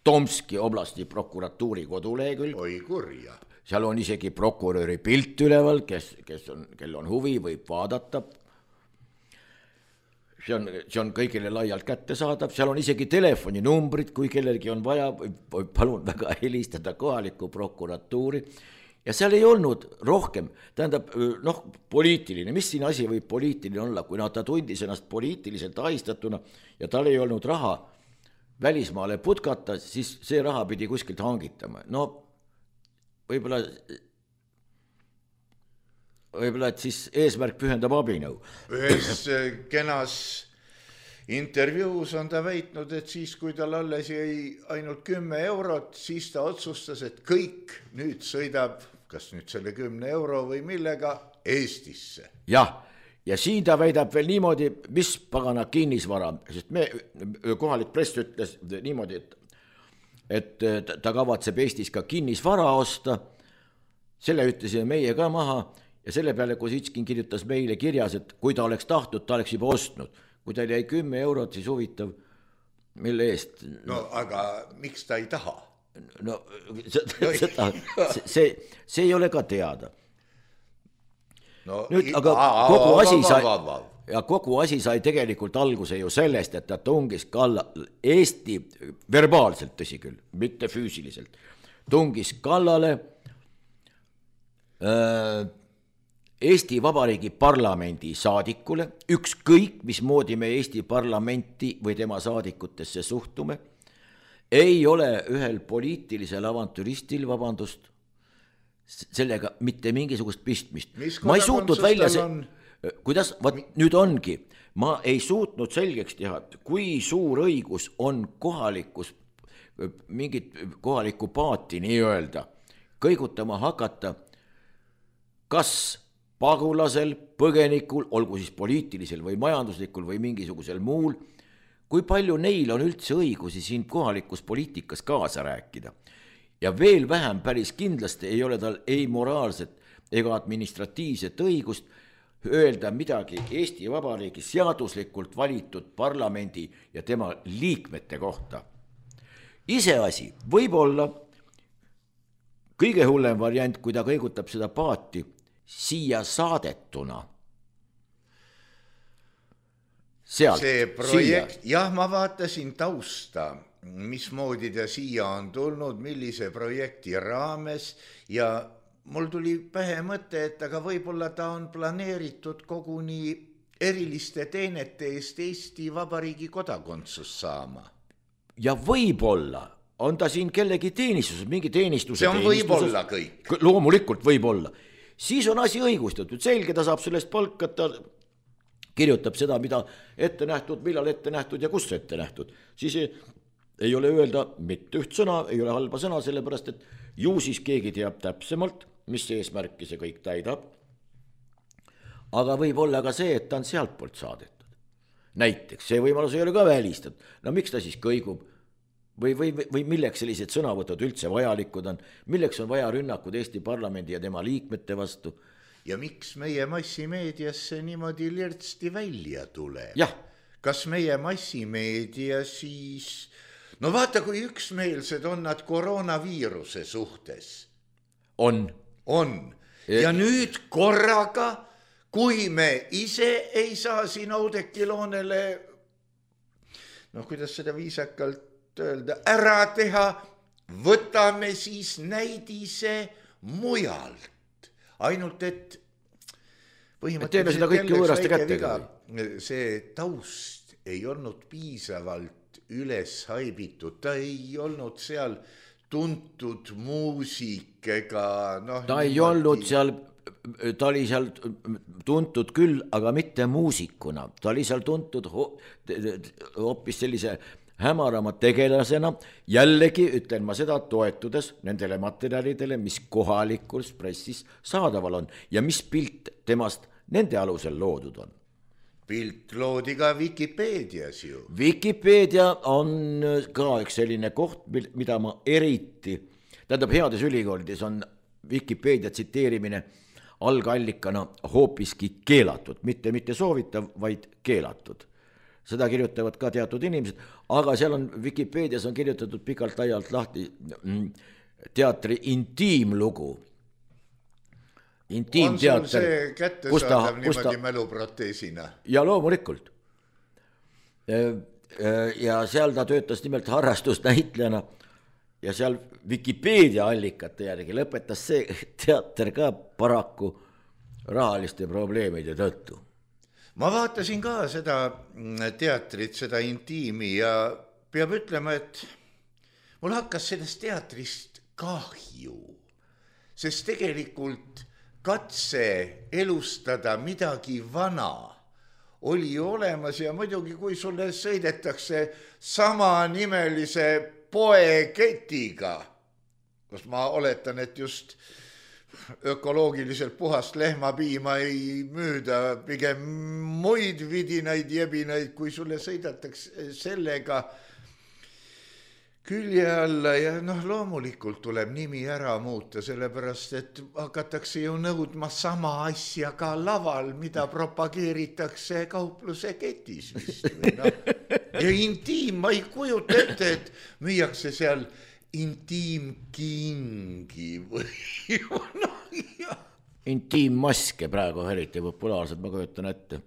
Tomski oblasti prokuratuuri kodulehekülg. Oi kurja. Seal on isegi prokuröri pilt üleval, kel on huvi, võib vaadata. See on kõigile laialt kättesaadav, seal on isegi telefoninumbrid, kui kellelgi on vaja, võib palun väga helistada kohaliku prokuratuuri. Ja seal ei olnud rohkem, tähendab, poliitiline, mis siin asi võib poliitiline olla, kui ta tundis ennast poliitiliselt ahistatuna ja tal ei olnud raha välismaale putkata, siis see raha pidi kuskilt hangitama. No võib-olla, et siis eesmärk pühendab abinõu. Ühes kenas intervjuus on ta väitnud, et siis, kui tal alles jäi ainult 10 eurot, siis ta otsustas, et kõik nüüd sõidab, kas nüüd selle 10 euro või millega, Eestisse. Jah, ja siin ta väidab veel niimoodi, mis pagana kinnisvara, sest kohalik press ütles niimoodi, et ta kavatseb Eestis ka kinnisvara osta, selle ütlesime meie ka maha ja selle peale Kusitškin kirjutas meile kirjas, et kui ta oleks tahtnud, ta oleks juba ostnud. Kui tal jäi 10 eurot, siis huvitav, mille eest? No aga miks ta ei taha? No see ei ole ka teada. No, nüüd, aga kogu asi sai tegelikult alguse ju sellest, et ta tungis Eesti verbaalselt, tõsi küll, mitte füüsiliselt, tungis kallale Eesti Vabariigi parlamendi saadikule, ükskõik mismoodi me Eesti parlamenti või tema saadikutesse suhtume, ei ole ühel poliitilisel avantüristil, vabandust, sellega mitte mingisugust pistmist. Ma ei suutnud välja kuidas, nüüd ongi, ma ei suutnud selgeks teha, kui suur õigus on mingit kohalikku paati nii öelda, kõigutama hakata, kas pagulasel, põgenikul, olgu siis poliitilisel või majanduslikul või mingisugusel muul, kui palju neil on üldse õigusi siin kohalikus poliitikas kaasa rääkida. Ja veel vähem päris kindlasti ei ole tal ei moraalset ega administratiivset õigust öelda midagi Eesti Vabariigi seaduslikult valitud parlamendi ja tema liikmete kohta. Iseasi võib olla kõige hullem variant, kui ta kõigutab seda paati siia saadetuna. See projekt, jah, ma vaatasin tausta. mismoodi ta siia on tulnud, millise projekti raames ja mul tuli pähe mõte, et aga võib-olla ta on planeeritud koguni eriliste teenete eest Eesti Vabariigi kodakondsus saama. Ja võib-olla on ta siin kellegi teenistuses, mingi teenistuse see on võib-olla kõik. Loomulikult võib-olla. Siis on asi õigustatud, selge, ta saab sellest palka, ta kirjutab seda, mida ette nähtud, millal ette nähtud ja kus ette nähtud. Siis ei ole öelda mitte üht sõna, ei ole halba sõna, sellepärast et ju siis keegi teab täpsemalt, mis eesmärki see kõik täidab. Aga võib olla ka see, et ta on sealt poolt saadetud. Näiteks, see võimalus ei ole ka välistatud. No miks ta siis kõigub? Või milleks sellised sõnavõtud üldse vajalikud on? Milleks on vaja rünnakud Eesti parlamendi ja tema liikmete vastu? Ja miks meie massimeediasse niimoodi lirtsti välja tuleb? Jah. Kas meie massimeedia siis... No vaata, kui üksmeelsed on nad koroonaviiruse suhtes. On. Ja nüüd korraga, kui me ise ei saa siin Oudekki Loonele, kuidas seda viisakalt öelda, ära teha, võtame siis näidise mujalt. Ainult, et teeme seda kõiki võõraste kättega. See taust ei olnud piisavalt üles haibitud, ta ei olnud seal tuntud muusik ega ta ei olnud seal, ta oli seal tuntud küll, aga mitte muusikuna, ta oli seal tuntud hoopis sellise hämarama tegelasena, jällegi ütlen ma seda toetudes nendele materjalidele, mis kohalikus pressis saadaval on ja mis pilt temast nende alusel loodud on. Pilt loodi ka Vikipeedias ju. Vikipeedia on ka üks selline koht, mida ma eriti, tähendab heades ülikoolides on Vikipeedia tsiteerimine algallikana hoopiski keelatud, mitte soovitav, vaid keelatud. Seda kirjutavad ka teatud inimesed, aga seal on Vikipeedias on kirjutatud pikalt-laialt lahti teatri intiimlugu. On sul see kättesaadav niimoodi mäluproteesina? Ja loomulikult. Ja seal ta töötas nimelt harrastusnäitlejana ja seal Vikipeedia allikate järgi lõpetas see teater ka paraku rahaliste probleemide tõttu. Ma vaatasin ka seda teatrit, seda intiimi ja peab ütlema, et mul hakkas sellest teatrist kahju, sest tegelikult katse elustada midagi vana oli olemas ja muidugi, kui sulle sõidetakse samanimelise poeketiga, kus ma oletan, et just ökoloogiliselt puhast lehmapiima ei müüda, pigem muid vidinaid jebinaid, kui sulle sõidatakse sellega külje alla ja loomulikult tuleb nimi ära muuta, sellepärast et hakatakse ju nõudma sama asja ka laval, mida propageeritakse kaupluse ketis vist. Ja intiim, ma ei kujuta ette, et müüakse seal intiimkingi või intiimmaske praegu eriti populaarsed, ma kujutan ette.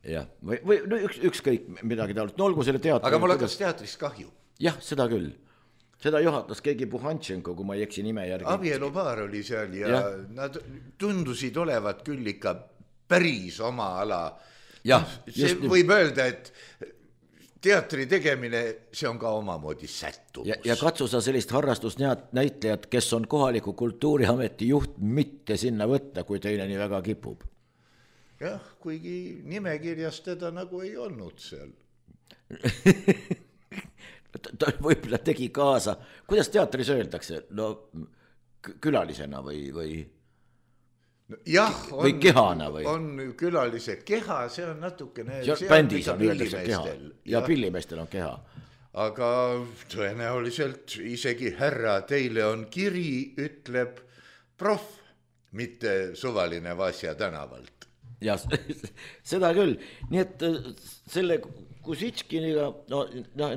Jah, või ükskõik midagi taolist, olgu selle teatri. Aga mul hakkas teatrist kahju. Jah, seda küll. Seda juhatas keegi Puhantšenko, kui ma ei eksi nime järgi. Abielupaar oli seal ja nad tundusid olevat küll ikka päris oma ala. See võib öelda, et teatri tegemine, see on ka omamoodi sättumus. Ja katsu sa sellist harrastusnäitlejat, kes on kohaliku kultuuriameti juht, mitte sinna võtta, kui teine nii väga kipub. Jah, kuigi nimekirjas teda nagu ei olnud seal. Ta võib-olla tegi kaasa. Kuidas teatris öeldakse? Külalisena või? Jah, või kehana või? On külalise keha, see on natukene... Bändis on öeldakse keha ja pillimeestel on keha. Aga tõenäoliselt isegi härra, teile on kiri, ütleb proff, mitte suvaline Vasja tänavalt. Ja seda küll. Nii et selle Kusitškiniga,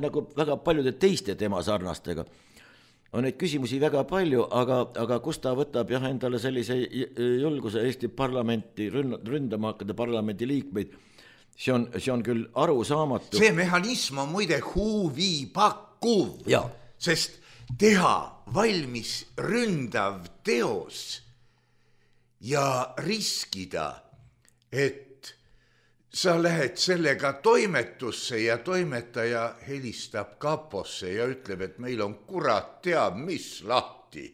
nagu väga paljude teiste tema sarnastega, on neid küsimusi väga palju, aga kus ta võtab endale sellise julguse Eesti parlamenti ründama hakata parlamendi liikmeid, see on küll arusaamatu. See mehhanism on muide huvipakkuv, Jaa. sest teha valmis ründav teos ja riskida, et sa lähed sellega toimetusse ja toimetaja helistab kaposse ja ütleb, et meil on kurat teab mis lahti.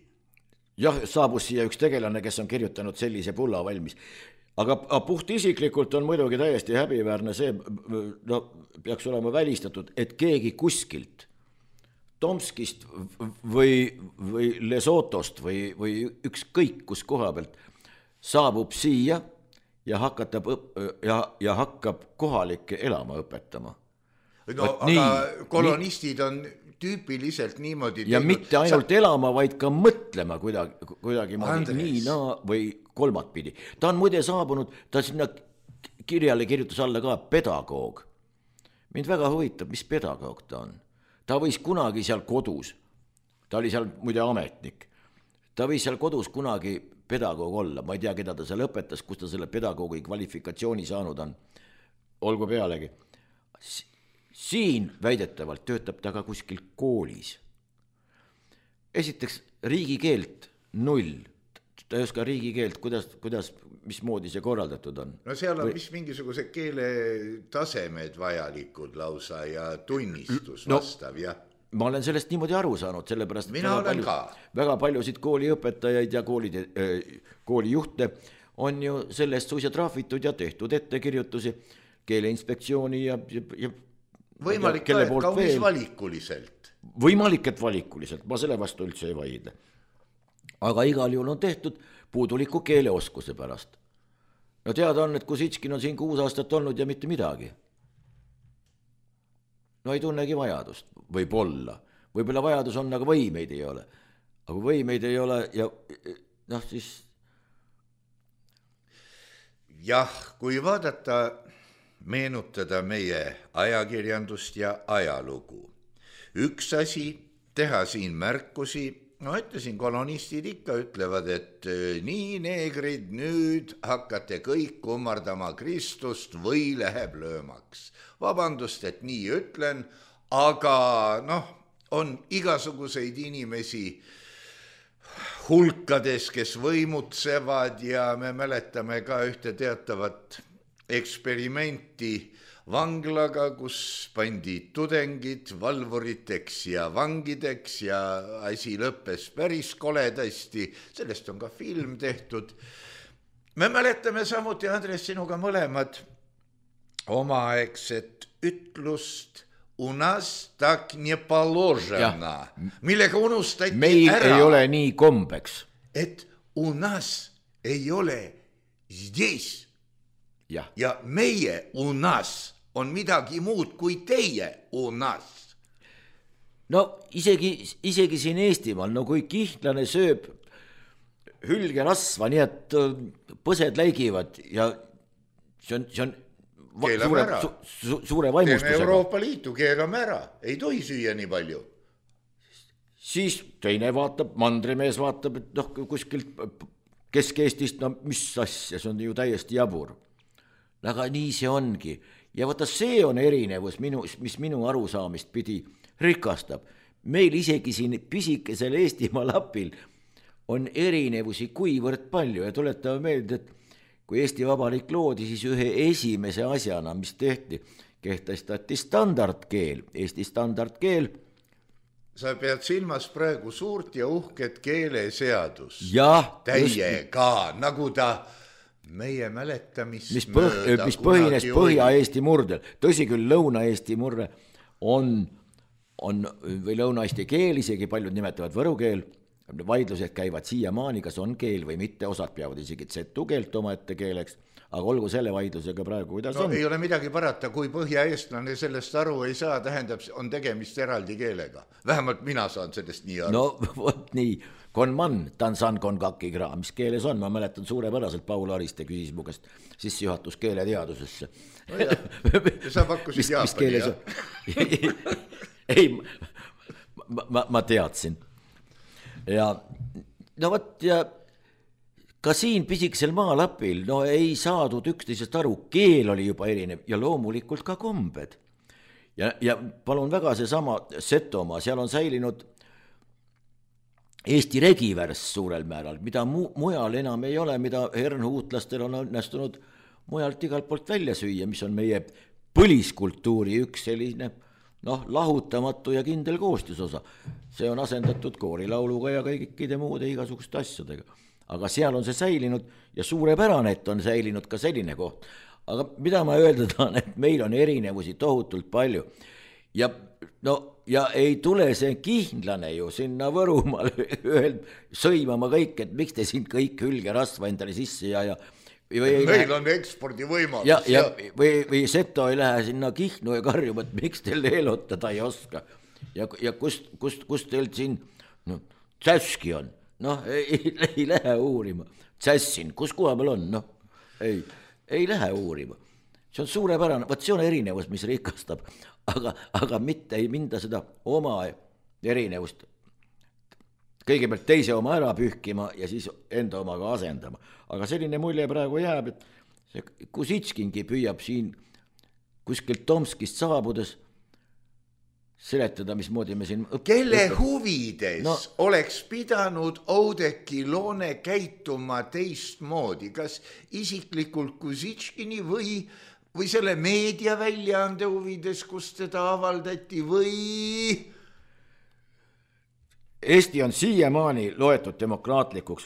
Jah, saabus siia üks tegelane, kes on kirjutanud sellise pulla valmis. Aga puht isiklikult on muidugi täiesti häbiväärne see, no peaks olema välistatud, et keegi kuskilt Tomskist või Lesotost või ükskõik kus koha pealt saabub siia ja hakkab kohalikke elama õpetama. No, aga kolonistid on tüüpiliselt niimoodi ja mitte ainult elama, vaid ka mõtlema kuidagi nii või kolmatpidi. Ta on muide saabunud, ta sinna kirjale kirjutas alla ka pedagoog. Mind väga huvitab, mis pedagoog ta on. Ta võis kunagi seal kodus, ta oli seal muide ametnik, ta võis seal kodus kunagi pedagoog olla, ma ei tea, keda ta seal õpetas, kus ta selle pedagoogi kvalifikatsiooni saanud on, olgu pealegi. Siin väidetavalt töötab ta ka kuskil koolis. Esiteks riigikeelt 0, ta ei oska riigikeelt, kuidas mismoodi see korraldatud on. No seal on vist mingisuguse keele tasemed vajalikud lausa ja tunnistus vastav, jah. Ma olen sellest niimoodi aru saanud, sellepärast väga paljusid kooliõpetajaid ja koolijuhte on ju sellest suisa trahvitud ja tehtud ettekirjutusi Keeleinspektsiooni ja võimalik ka, et kaunis valikuliselt. Võimalik, et valikuliselt, ma selle vastu üldse ei vaidle. Aga igal juhul on tehtud puuduliku keeleoskuse pärast. No teada on, et Kusitškin on siin 6 aastat olnud ja mitte midagi. No ei tunnegi vajadust, võib-olla. Võib-olla vajadus on, aga võimeid ei ole. Aga võimeid ei ole ja noh siis... Jah, kui vaadata, meenutada meie ajakirjandust ja ajalugu. Üks asi, teha siin märkusi, no ütlesin, kolonistid ikka ütlevad, et nii neegrid, nüüd hakkate kõik kummardama Kristust või läheb löömaks. Vabandust, et nii ütlen, aga noh, on igasuguseid inimesi hulkades, kes võimutsevad ja me mäletame ka ühte teatavat eksperimenti vanglaga, kus pandi tudengid valvuriteks ja vangideks ja asi lõppes päris koledasti, sellest on ka film tehtud. Me mäletame samuti, Andres, sinuga mõlemad omaaegset ütlust u nas tak не положено, millega unustati meil ära. Ei ole nii kombeks. Et u nas ei ole здесь. Ja meie u nas on midagi muud kui teie u nas. No isegi siin Eestimaal, no kui kihnlane sööb hülgerasva, nii et põsed läigivad ja see on suure vaimustusega. Teeme Euroopa Liitu, keelame ära, ei tohi süüa nii palju. Siis teine vaatab, mandrimees vaatab, et noh, kuskilt Kesk-Eestist, no mis asja, see on ju täiesti jabur. Aga nii see ongi. Ja vaata, see on erinevus, mis minu arusaamist pidi rikastab. Meil isegi siin pisikesel Eestimaa lapil on erinevusi kuivõrd palju ja tuletame meelde, et kui Eesti Vabariik loodi, siis ühe esimese asjana, mis tehti, kehtestati standardkeel, Eesti standardkeel. Sa pead silmas praegu suurt ja uhket keeleseadus. Täiega, nagu ta meie mäletamist mis põhines Põhja-Eesti murdel. Tõsi küll, Lõuna-Eesti murre on või Lõuna-Eesti keel, isegi paljud nimetavad võru keel. Vaidlused käivad siiamaani, kas on keel või mitte, osad peavad isegi Z-u keelt oma ette keeleks, aga olgu selle vaidlusega praegu, kuidas on. Ei ole midagi parata, kui põhjaeestlane sellest aru ei saa, tähendab, on tegemist eraldi keelega. Vähemalt mina saan sellest nii aru. No vot nii, konman, tansan konkakigra, mis keeles on, ma mäletan suurepäraselt Paul Ariste küsis mu käest sissejuhatus keeleteadusesse. No ja sa pakkusid Jaapani, jah? Ei, ma teadsin. Ja no võt, ja ka siin pisikesel maalapil no ei saadud üksteisest aru, keel oli juba erinev ja loomulikult ka kombed. Ja palun väga seesama Setomaa, seal on säilinud Eesti regivärss suurel määral, mida mujal enam ei ole, mida hernhuutlastel on õnnestunud mujalt igalt poolt välja süüa, mis on meie põliskultuuri üks selline lahutamatu ja kindel koostisosa. See on asendatud koorilauluga ja kõikide muude igasuguste asjadega. Aga seal on see säilinud ja suurepärane, et on säilinud ka selline koht. Aga mida ma öelda tahan, et meil on erinevusi tohutult palju. Ja ei tule see kihnlane ju sinna Võrumaale sõimama kõik, et miks te siin kõik hülgerasva endale sisse ja meil on ekspordivõimalus. Või Seto ei lähe sinna Kihnu ja karjuma, et miks teil eelotada ei oska. Ja kust teil siin tsäski on? Ei lähe uurima. Tsässin, kus koha peal on? Ei lähe uurima. See on suurepärane, võt see on erinevus, mis rikastab, aga mitte ei minda seda oma erinevust kõigepealt teise oma ära pühkima ja siis enda omaga asendama. Aga selline mulje praegu jääb, et see Kusitskingi püüab siin kuskilt Tomskist saabudes seletada, mismoodi me siin kelle huvides oleks pidanud Oudekki Loone käituma teistmoodi, kas isiklikult Kusitskini või selle meediaväljaande huvides, kus teda avaldati või... Eesti on siiamaani loetud demokraatlikuks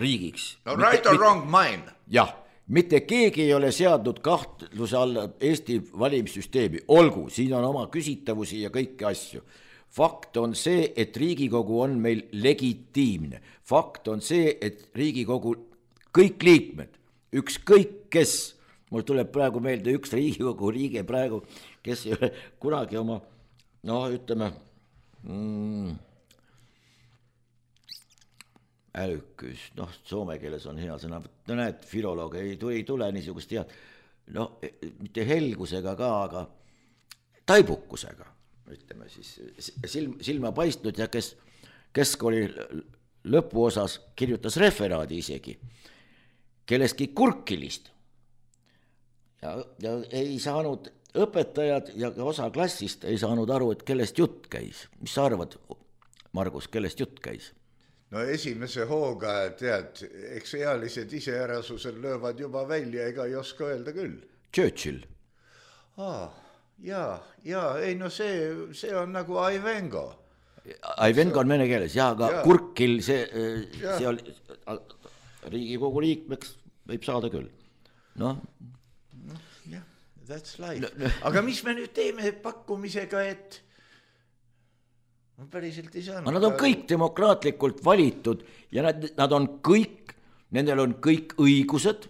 riigiks. Right or wrong mine. Jah, mitte keegi ei ole seadnud kahtluse alla Eesti valimissüsteemi. Olgu, siin on oma küsitavusi ja kõiki asju. Fakt on see, et Riigikogu on meil legitiimne. Fakt on see, et Riigikogu kõik liikmed, ükskõik kes, mul tuleb praegu meelde üks Riigikogu liige praegu, kes ei ole kunagi oma, ütleme, älykkyys, soome keeles on hea sõna, näed, filoloog ei tule niisugust head, mitte helgusega ka, aga taibukusega, ütleme siis, silma paistnud ja kes keskkooli lõpuosas kirjutas referaadi isegi, kellestki kurkilist ja ei saanud õpetajad ja osa klassist ei saanud aru, et kellest jutt käis. Mis sa arvad, Margus, kellest jutt käis? Esimese hooga, tead, eks ealised iseärasusel löövad juba välja, ega ei oska öelda küll. Churchill. See on nagu Aivengo. Aivengo on vene keeles, aga Kurkil see oli Riigikogu liikmeks võib saada küll. That's life. Aga mis me nüüd teeme pakkumisega, et ma päriselt ei saanud. Nad on kõik demokraatlikult valitud ja nad on kõik, nendel on kõik õigused,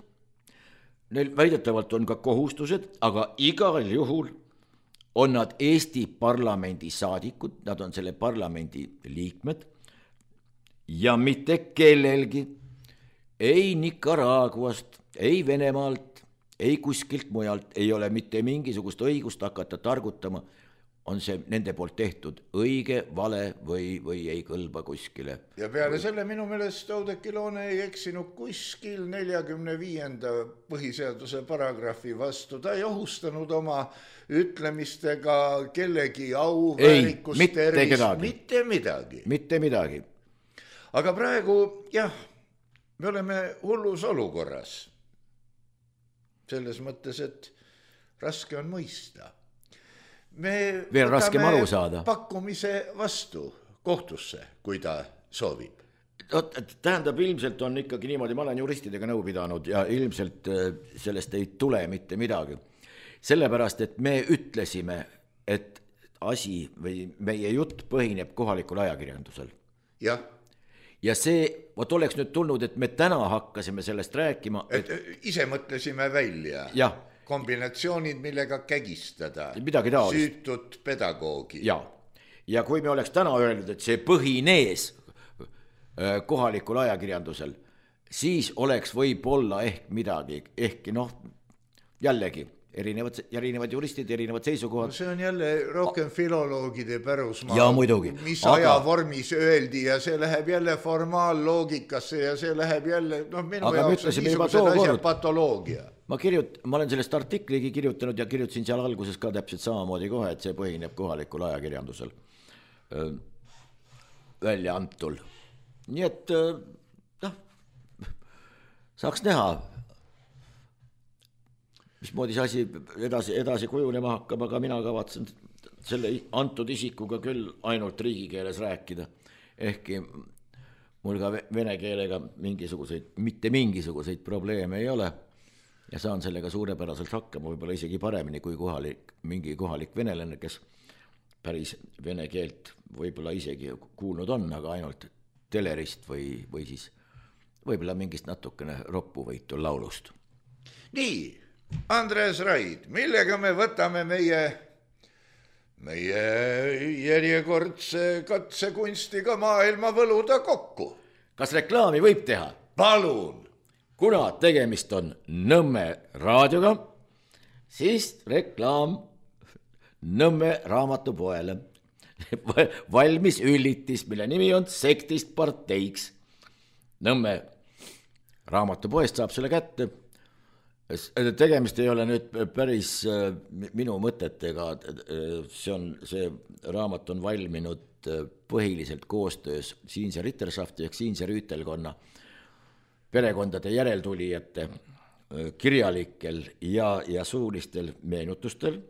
neil väidetavalt on ka kohustused, aga igal juhul on nad Eesti parlamendi saadikud, nad on selle parlamendi liikmed ja mitte kellelgi, ei Nicaraguast, ei Venemaalt, ei kuskilt mujalt ei ole mitte mingisugust õigust hakata targutama, on see nende poolt tehtud õige, vale või ei kõlba kuskile. Ja peale selle minu meelest Oudekki Loone ei eksinud kuskil 45. põhiseaduse paragrahvi vastu, ta ei ohustanud oma ütlemistega kellegi au, väärikust, mitte midagi. Mitte midagi. Aga praegu, me oleme hullus olukorras. Selles mõttes, et raske on mõista. Me veel raskem aru saada. Pakkumise vastu kohtusse, kui ta soovib. Tähendab, ilmselt on ikkagi niimoodi, ma olen juristidega nõu pidanud ja ilmselt sellest ei tule mitte midagi. Sellepärast, et me ütlesime, et asi või meie jutt põhineb kohalikul ajakirjandusel. Jah. Ja see, oleks nüüd tulnud, et me täna hakkasime sellest rääkima. Et ise mõtlesime välja kombinatsioonid, millega kägistada süütut pedagoogi. Ja kui me oleks täna öelnud, et see põhinees kohalikul ajakirjandusel, siis oleks võib-olla ehk midagi, ehkki jällegi erinevad juristid, erinevad seisukohad. See on jälle rohkem filoloogide pärusmaa. Ja muidugi. Mis ajavormis öeldi ja see läheb jälle formaalloogikasse ja see läheb jälle, minu jaoks on niisugused asjad patoloogia. Ma olen sellest artikligi kirjutanud ja kirjutasin seal alguses ka täpselt samamoodi kohe, et see põhineb kohalikul ajakirjandusel välja antul. Nii et saaks näha, mismoodi see asi edasi kujunema hakkab, aga mina kavatsen selle antud isikuga küll ainult riigikeeles rääkida, ehkki mul ka vene keelega mitte mingisuguseid probleeme ei ole ja saan sellega suurepäraselt hakkama, võib-olla isegi paremini kui mingi kohalik venelane, kes päris vene keelt võib-olla isegi kuulnud on, aga ainult telerist või siis võib-olla mingist natukene roppuvõitu laulust. Nii, Andres Raid, millega me võtame meie järjekordse katsekunstiga maailma võluda kokku? Kas reklaami võib teha? Palun! Kuna tegemist on Nõmme raadioga, siis reklaam Nõmme raamatupoele. Valmis üllitis, mille nimi on Sektist parteiks. Nõmme raamatupoest saab selle kätte. Tegemist ei ole nüüd päris minu mõtetega. See raamat on valminud põhiliselt koostöös Siinse Ritterschaft ehk Siinse Rüütelkonna perekondade järeltulijate kirjalikel ja suulistel meenutustel.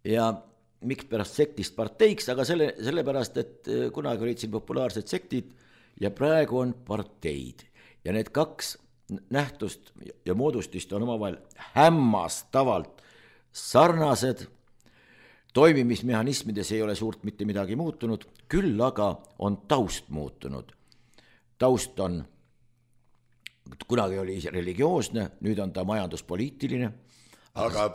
Ja miks pärast Sektist parteiks, aga sellepärast, et kunagi olid siin populaarsed sektid ja praegu on parteid. Ja need kaks nähtust ja moodustist on omavahel hämmastavalt sarnased. Toimimismehhanismides ei ole suurt mitte midagi muutunud, küll aga on taust muutunud. Taust on, kunagi oli religioosne, nüüd on ta majanduspoliitiline. Aga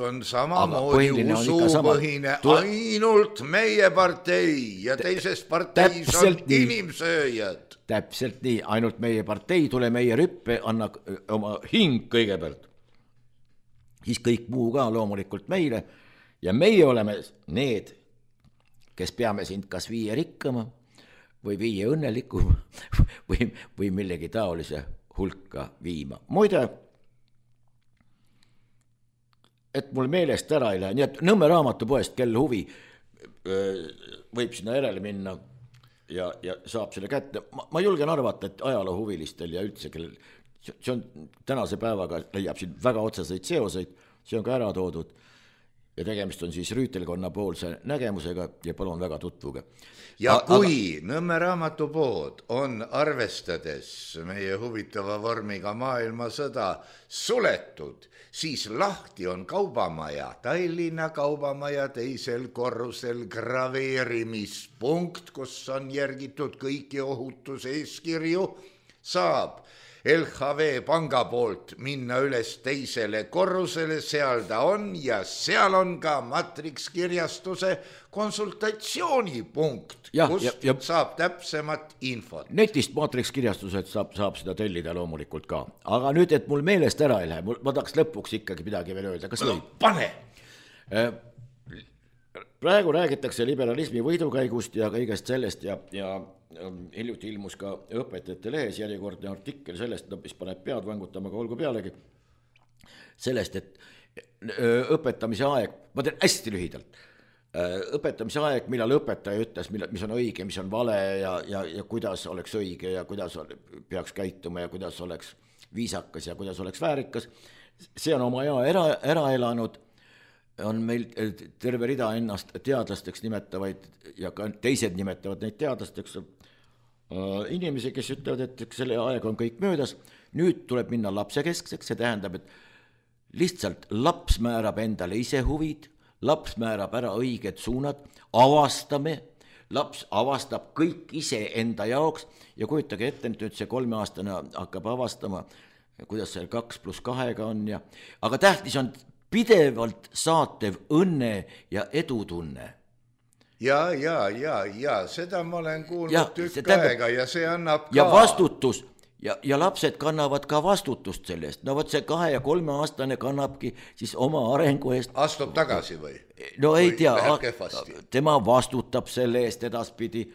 on samamoodi usupõhine, ainult meie partei ja teises parteis on inimsööjad. Täpselt nii, ainult meie partei, tule meie rüppe, anna oma hing kõigepealt. Siis kõik muu ka loomulikult meile ja meie oleme need, kes peame sind kas viie rikkama või viie õnnelikuma või millegi taolise hulka viima. Muide, et mul meelest ära ei lähe, nii et Nõmme raamatupoest, kel huvi, võib sinna järele minna ja saab selle kätte. Ma julgen arvata, et ajaloohuvilistel ja üldse, see on tänase päevaga leiab siin väga otseseid seoseid, see on ka ära toodud ja tegemist on siis Rüütelkonna poolse nägemusega ja palun väga tutvuge. Ja kui Nõmme raamatupood on arvestades meie huvitava vormiga maailmasõda suletud, siis lahti on kaubamaja, Tallinna kaubamaja teisel korrusel graveerimispunkt, kus on järgitud kõiki ohutuseeskirju, saab LHV panga poolt minna üles teisele korrusele, seal ta on ja seal on ka Matrix kirjastuse konsultatsioonipunkt, kust saab täpsemat infot. Netist Matrix kirjastused saab seda tellida loomulikult ka. Aga nüüd, et mul meelest ära ei lähe, ma tahaks lõpuks ikkagi midagi veel öelda. Kas võib? Pane! Praegu räägitakse liberalismi võidukäigust ja kõigest sellest ja hiljuti ilmus ka õpetajate lehes järjekordne artikkel sellest, mis paneb pead vangutama, aga olgu pealegi sellest, et õpetamise aeg, ma teen hästi lühidalt, õpetamise aeg, millal õpetaja ütles, mis on õige, mis on vale ja kuidas oleks õige ja kuidas peaks käituma ja kuidas oleks viisakas ja kuidas oleks väärikas, see on oma aja ära elanud. On meil terve rida ennast teadlasteks nimetavaid ja ka teised nimetavad neid teadlasteks inimesi, kes ütlevad, et selle aeg on kõik möödas. Nüüd tuleb minna lapsekeskseks, see tähendab, et lihtsalt laps määrab endale ise huvid, laps määrab ära õiged suunad, laps avastab kõik ise enda jaoks ja kujutage ette, nüüd see 3-aastane hakkab avastama, kuidas see 2+2 on aga tähtis on pidevalt saatev õnne ja edutunne. Ja, seda ma olen kuulnud tükk aega ja see annab ka. Ja vastutus ja lapsed kannavad ka vastutust sellest, no vot see 2- ja 3-aastane kannabki siis oma arengu eest. Astub tagasi või? No ei tea, kehvasti? tema vastutab selle eest edaspidi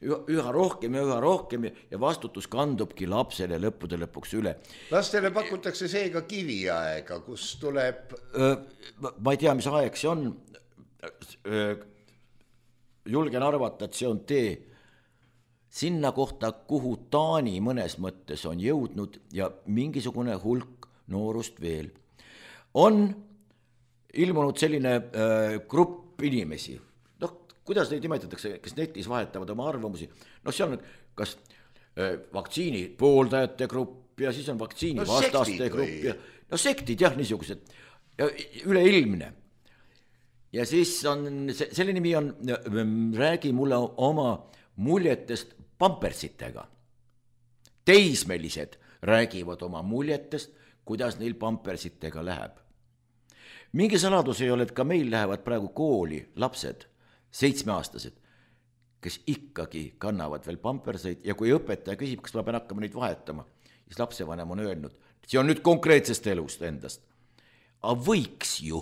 üha rohkem ja vastutus kandubki lapsele lõppude lõpuks üle. Lastele pakutakse seega kiviaega, kus tuleb... Ma ei tea, mis aeg see on. Julgen arvata, et see on tee sinna kohta, kuhu Taani mõnes mõttes on jõudnud ja mingisugune hulk noorust veel. On ilmunud selline grupp inimesi, noh, kuidas neid nimetatakse, kes netis vahetavad oma arvamusi, noh, seal on kas vaktsiini pooldajate grupp ja siis on vaktsiini vastaste grupp ja no sektid jah, niisugused ja üleilmne. Ja siis on, selle nimi on, räägi mulle oma muljetest pampersitega. Teismelised räägivad oma muljetest, kuidas neil pampersitega läheb. Mingi saladus ei ole, et ka meil lähevad praegu kooli lapsed, 7-aastased, kes ikkagi kannavad veel pamperseid ja kui õpetaja küsib, kas ma pean hakkama neid vahetama, siis lapsevanem on öelnud, see on nüüd konkreetsest elust endast. Aga võiks ju.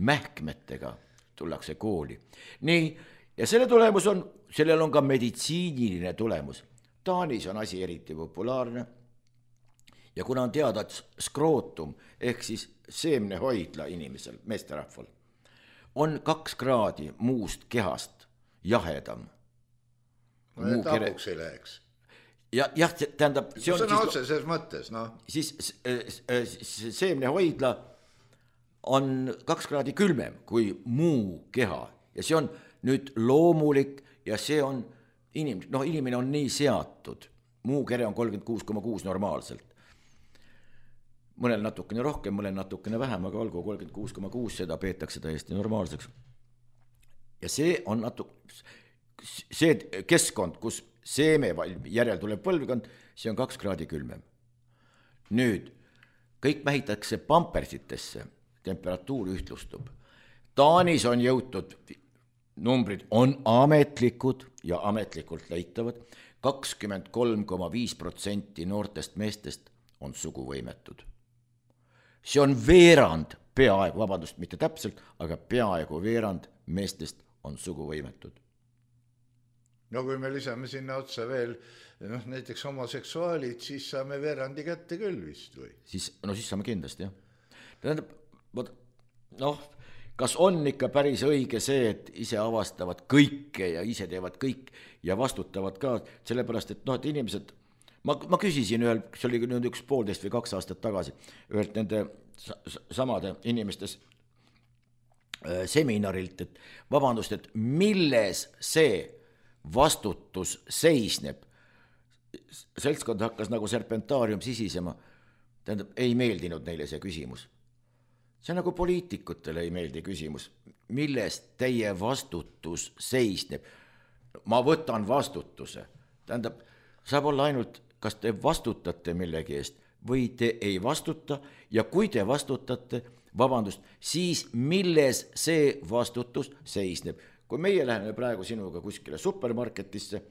Mähkmetega tullakse kooli. Nii, ja selle tulemus on, sellel on ka meditsiiniline tulemus. Taanis on asi eriti populaarne ja kuna on teada, et skrootum ehk siis seemnehoidla inimesel, meesterahval, on 2 kraadi muust kehast jahedam. Tapuks ei läheks. Jah, tähendab, see on sõna otseses mõttes, noh. Siis seemnehoidla on 2 kraadi külmem kui muu keha ja see on nüüd loomulik ja see on inimene on nii seatud. Muu kere on 36,6 normaalselt. Mõnel natukene rohkem, mõnel natukene vähem, aga olgu 36,6, seda peetakse täiesti normaalseks. Ja see on see keskkond, kus seeme järel tuleb põlvkond, see on 2 kraadi külmem. Nüüd, kõik mähitakse pampersitesse, temperatuur ühtlustub. Taanis on jõutud, numbrid on ametlikud ja ametlikult leitavad, 23,5% noortest meestest on suguvõimetud. See on veerand, peaaegu, vabandust, mitte täpselt, aga peaaegu veerand meestest on suguvõimetud. No kui me lisame sinna otsa veel näiteks homoseksuaalid, siis saame veerandi kätte küll vist või? Siis saame kindlasti, jah. Tähendab, kas on ikka päris õige see, et ise avastavad kõike ja ise teevad kõik ja vastutavad ka, sellepärast, et et inimesed, ma küsisin ühel, see oli nüüd 1,5 või 2 aastat tagasi, ühelt nende samade inimestes seminarilt, et vabandust, et milles see vastutus seisneb. Seltskond hakkas nagu serpentaarium sisisema, tähendab, ei meeldinud neile see küsimus. See nagu poliitikutele ei meeldi küsimus, milles teie vastutus seisneb. Ma võtan vastutuse. Tähendab, saab olla ainult, kas te vastutate millegi eest või te ei vastuta ja kui te vastutate, vabandust, siis milles see vastutus seisneb. Kui meie läheme praegu sinuga kuskile supermarketisse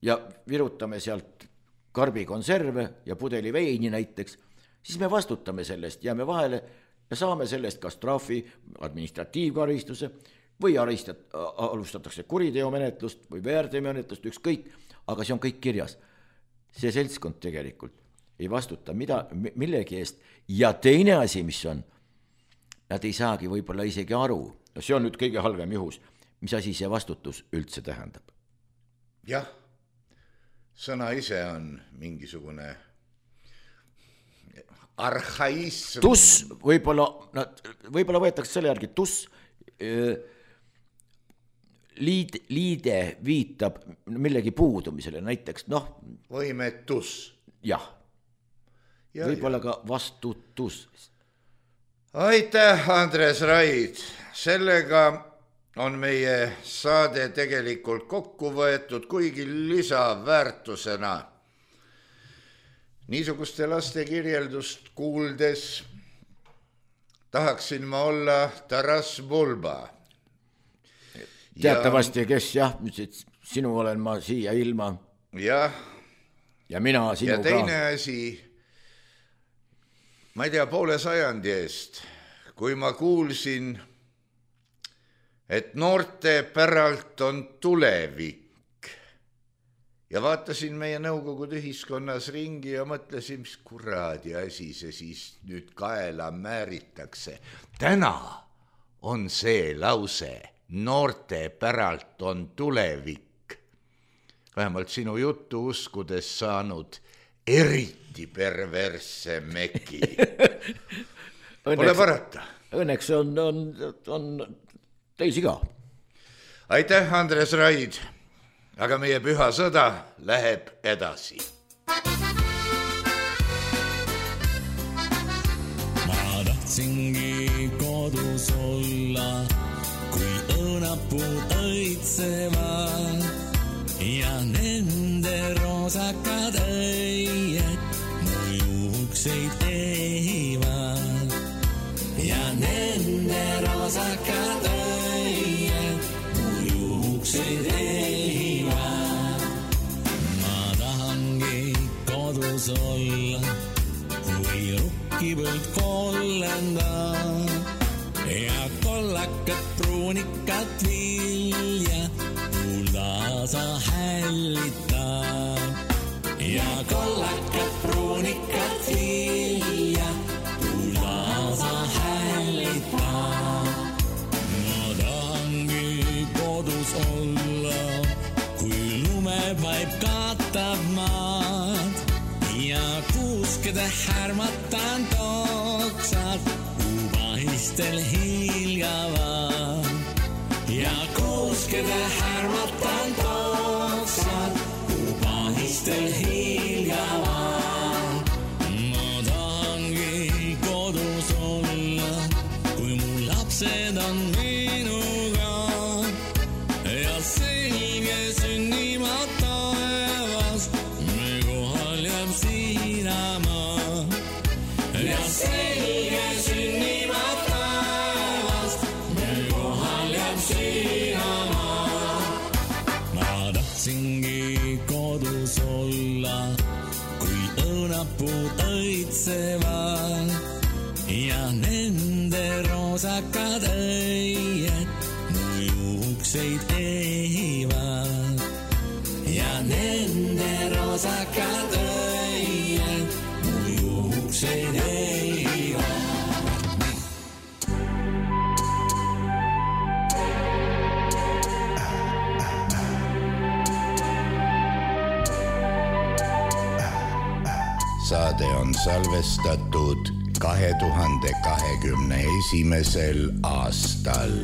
ja virutame sealt karbikonserve ja pudeli veini näiteks, siis me vastutame sellest, jääme vahele ja saame sellest kas trahvi, administratiivkaristuse või alustatakse kuriteomenetlust või väärteomenetlust, ükskõik, aga see on kõik kirjas. See seltskond tegelikult ei vastuta millegi eest ja teine asi, mis on, nad ei saagi võib-olla isegi aru, see on nüüd kõige halvem juhus, mis asi see vastutus üldse tähendab. Jah, sõna ise on mingisugune arhaism. Tuss, võib-olla võetakse selle järgi, tuss liide viitab millegi puudumisele, näiteks võimetus. Jah, võib-olla ka vastutus. Aitäh, Andres Raid, sellega on meie saade tegelikult kokku võetud, kuigi lisaväärtusena. Niisuguste laste kirjeldust kuuldes tahaksin ma olla Taras Bulba. Teatavasti, kes jah, sinu olen ma siia ilma jah. Ja mina sinuga. Ja teine asi, ma ei tea, poole sajandi eest, kui ma kuulsin, et noorte päralt on tulevik ja vaatasin meie nõukogude ühiskonnas ringi ja mõtlesin, mis kuradi asi see siis nüüd kaela määritakse. Täna on see lause, noorte päralt on tulevik, vähemalt sinu juttu uskudes saanud eriti perversse meki. Pole parata. Õnneks on teisi ka. Aitäh, Andres Raid, aga meie püha sõda läheb edasi. Ma tahtsingi kodus olla, kui õunapuud õitsevad ja nende roosakad õied mu juukseid ehivad ja nende roosakad õied mu juukseid ehivad. Ma tahangi kodus olla, kui rukkipõld kollendab ja kollakat pruunikat vilja kullasa hällitab ja kollakat pruunikat vilja kullasa hällitab. Ma tahangi kodus olla, kui lumevaip katab maad ja kuuskede härmatan toksad ubahistel hiljavad ja kuuskede härmatan toksad ubahistel hiljavad. Ma tahangi kodus olla, kui mu lapsed on minuga ja selge sünnima taevas me kohal jääb siinamaa ja selge sünnima taevas me kohal jääb siinamaa. Ma tahtsingi kodus olla, kui õunapuud õitsevad ja nende roosakad õied mu juukseid ehivad ja nende roosakad õied mu juukseid ehivad. Saade on salvestatud 2021. aastal.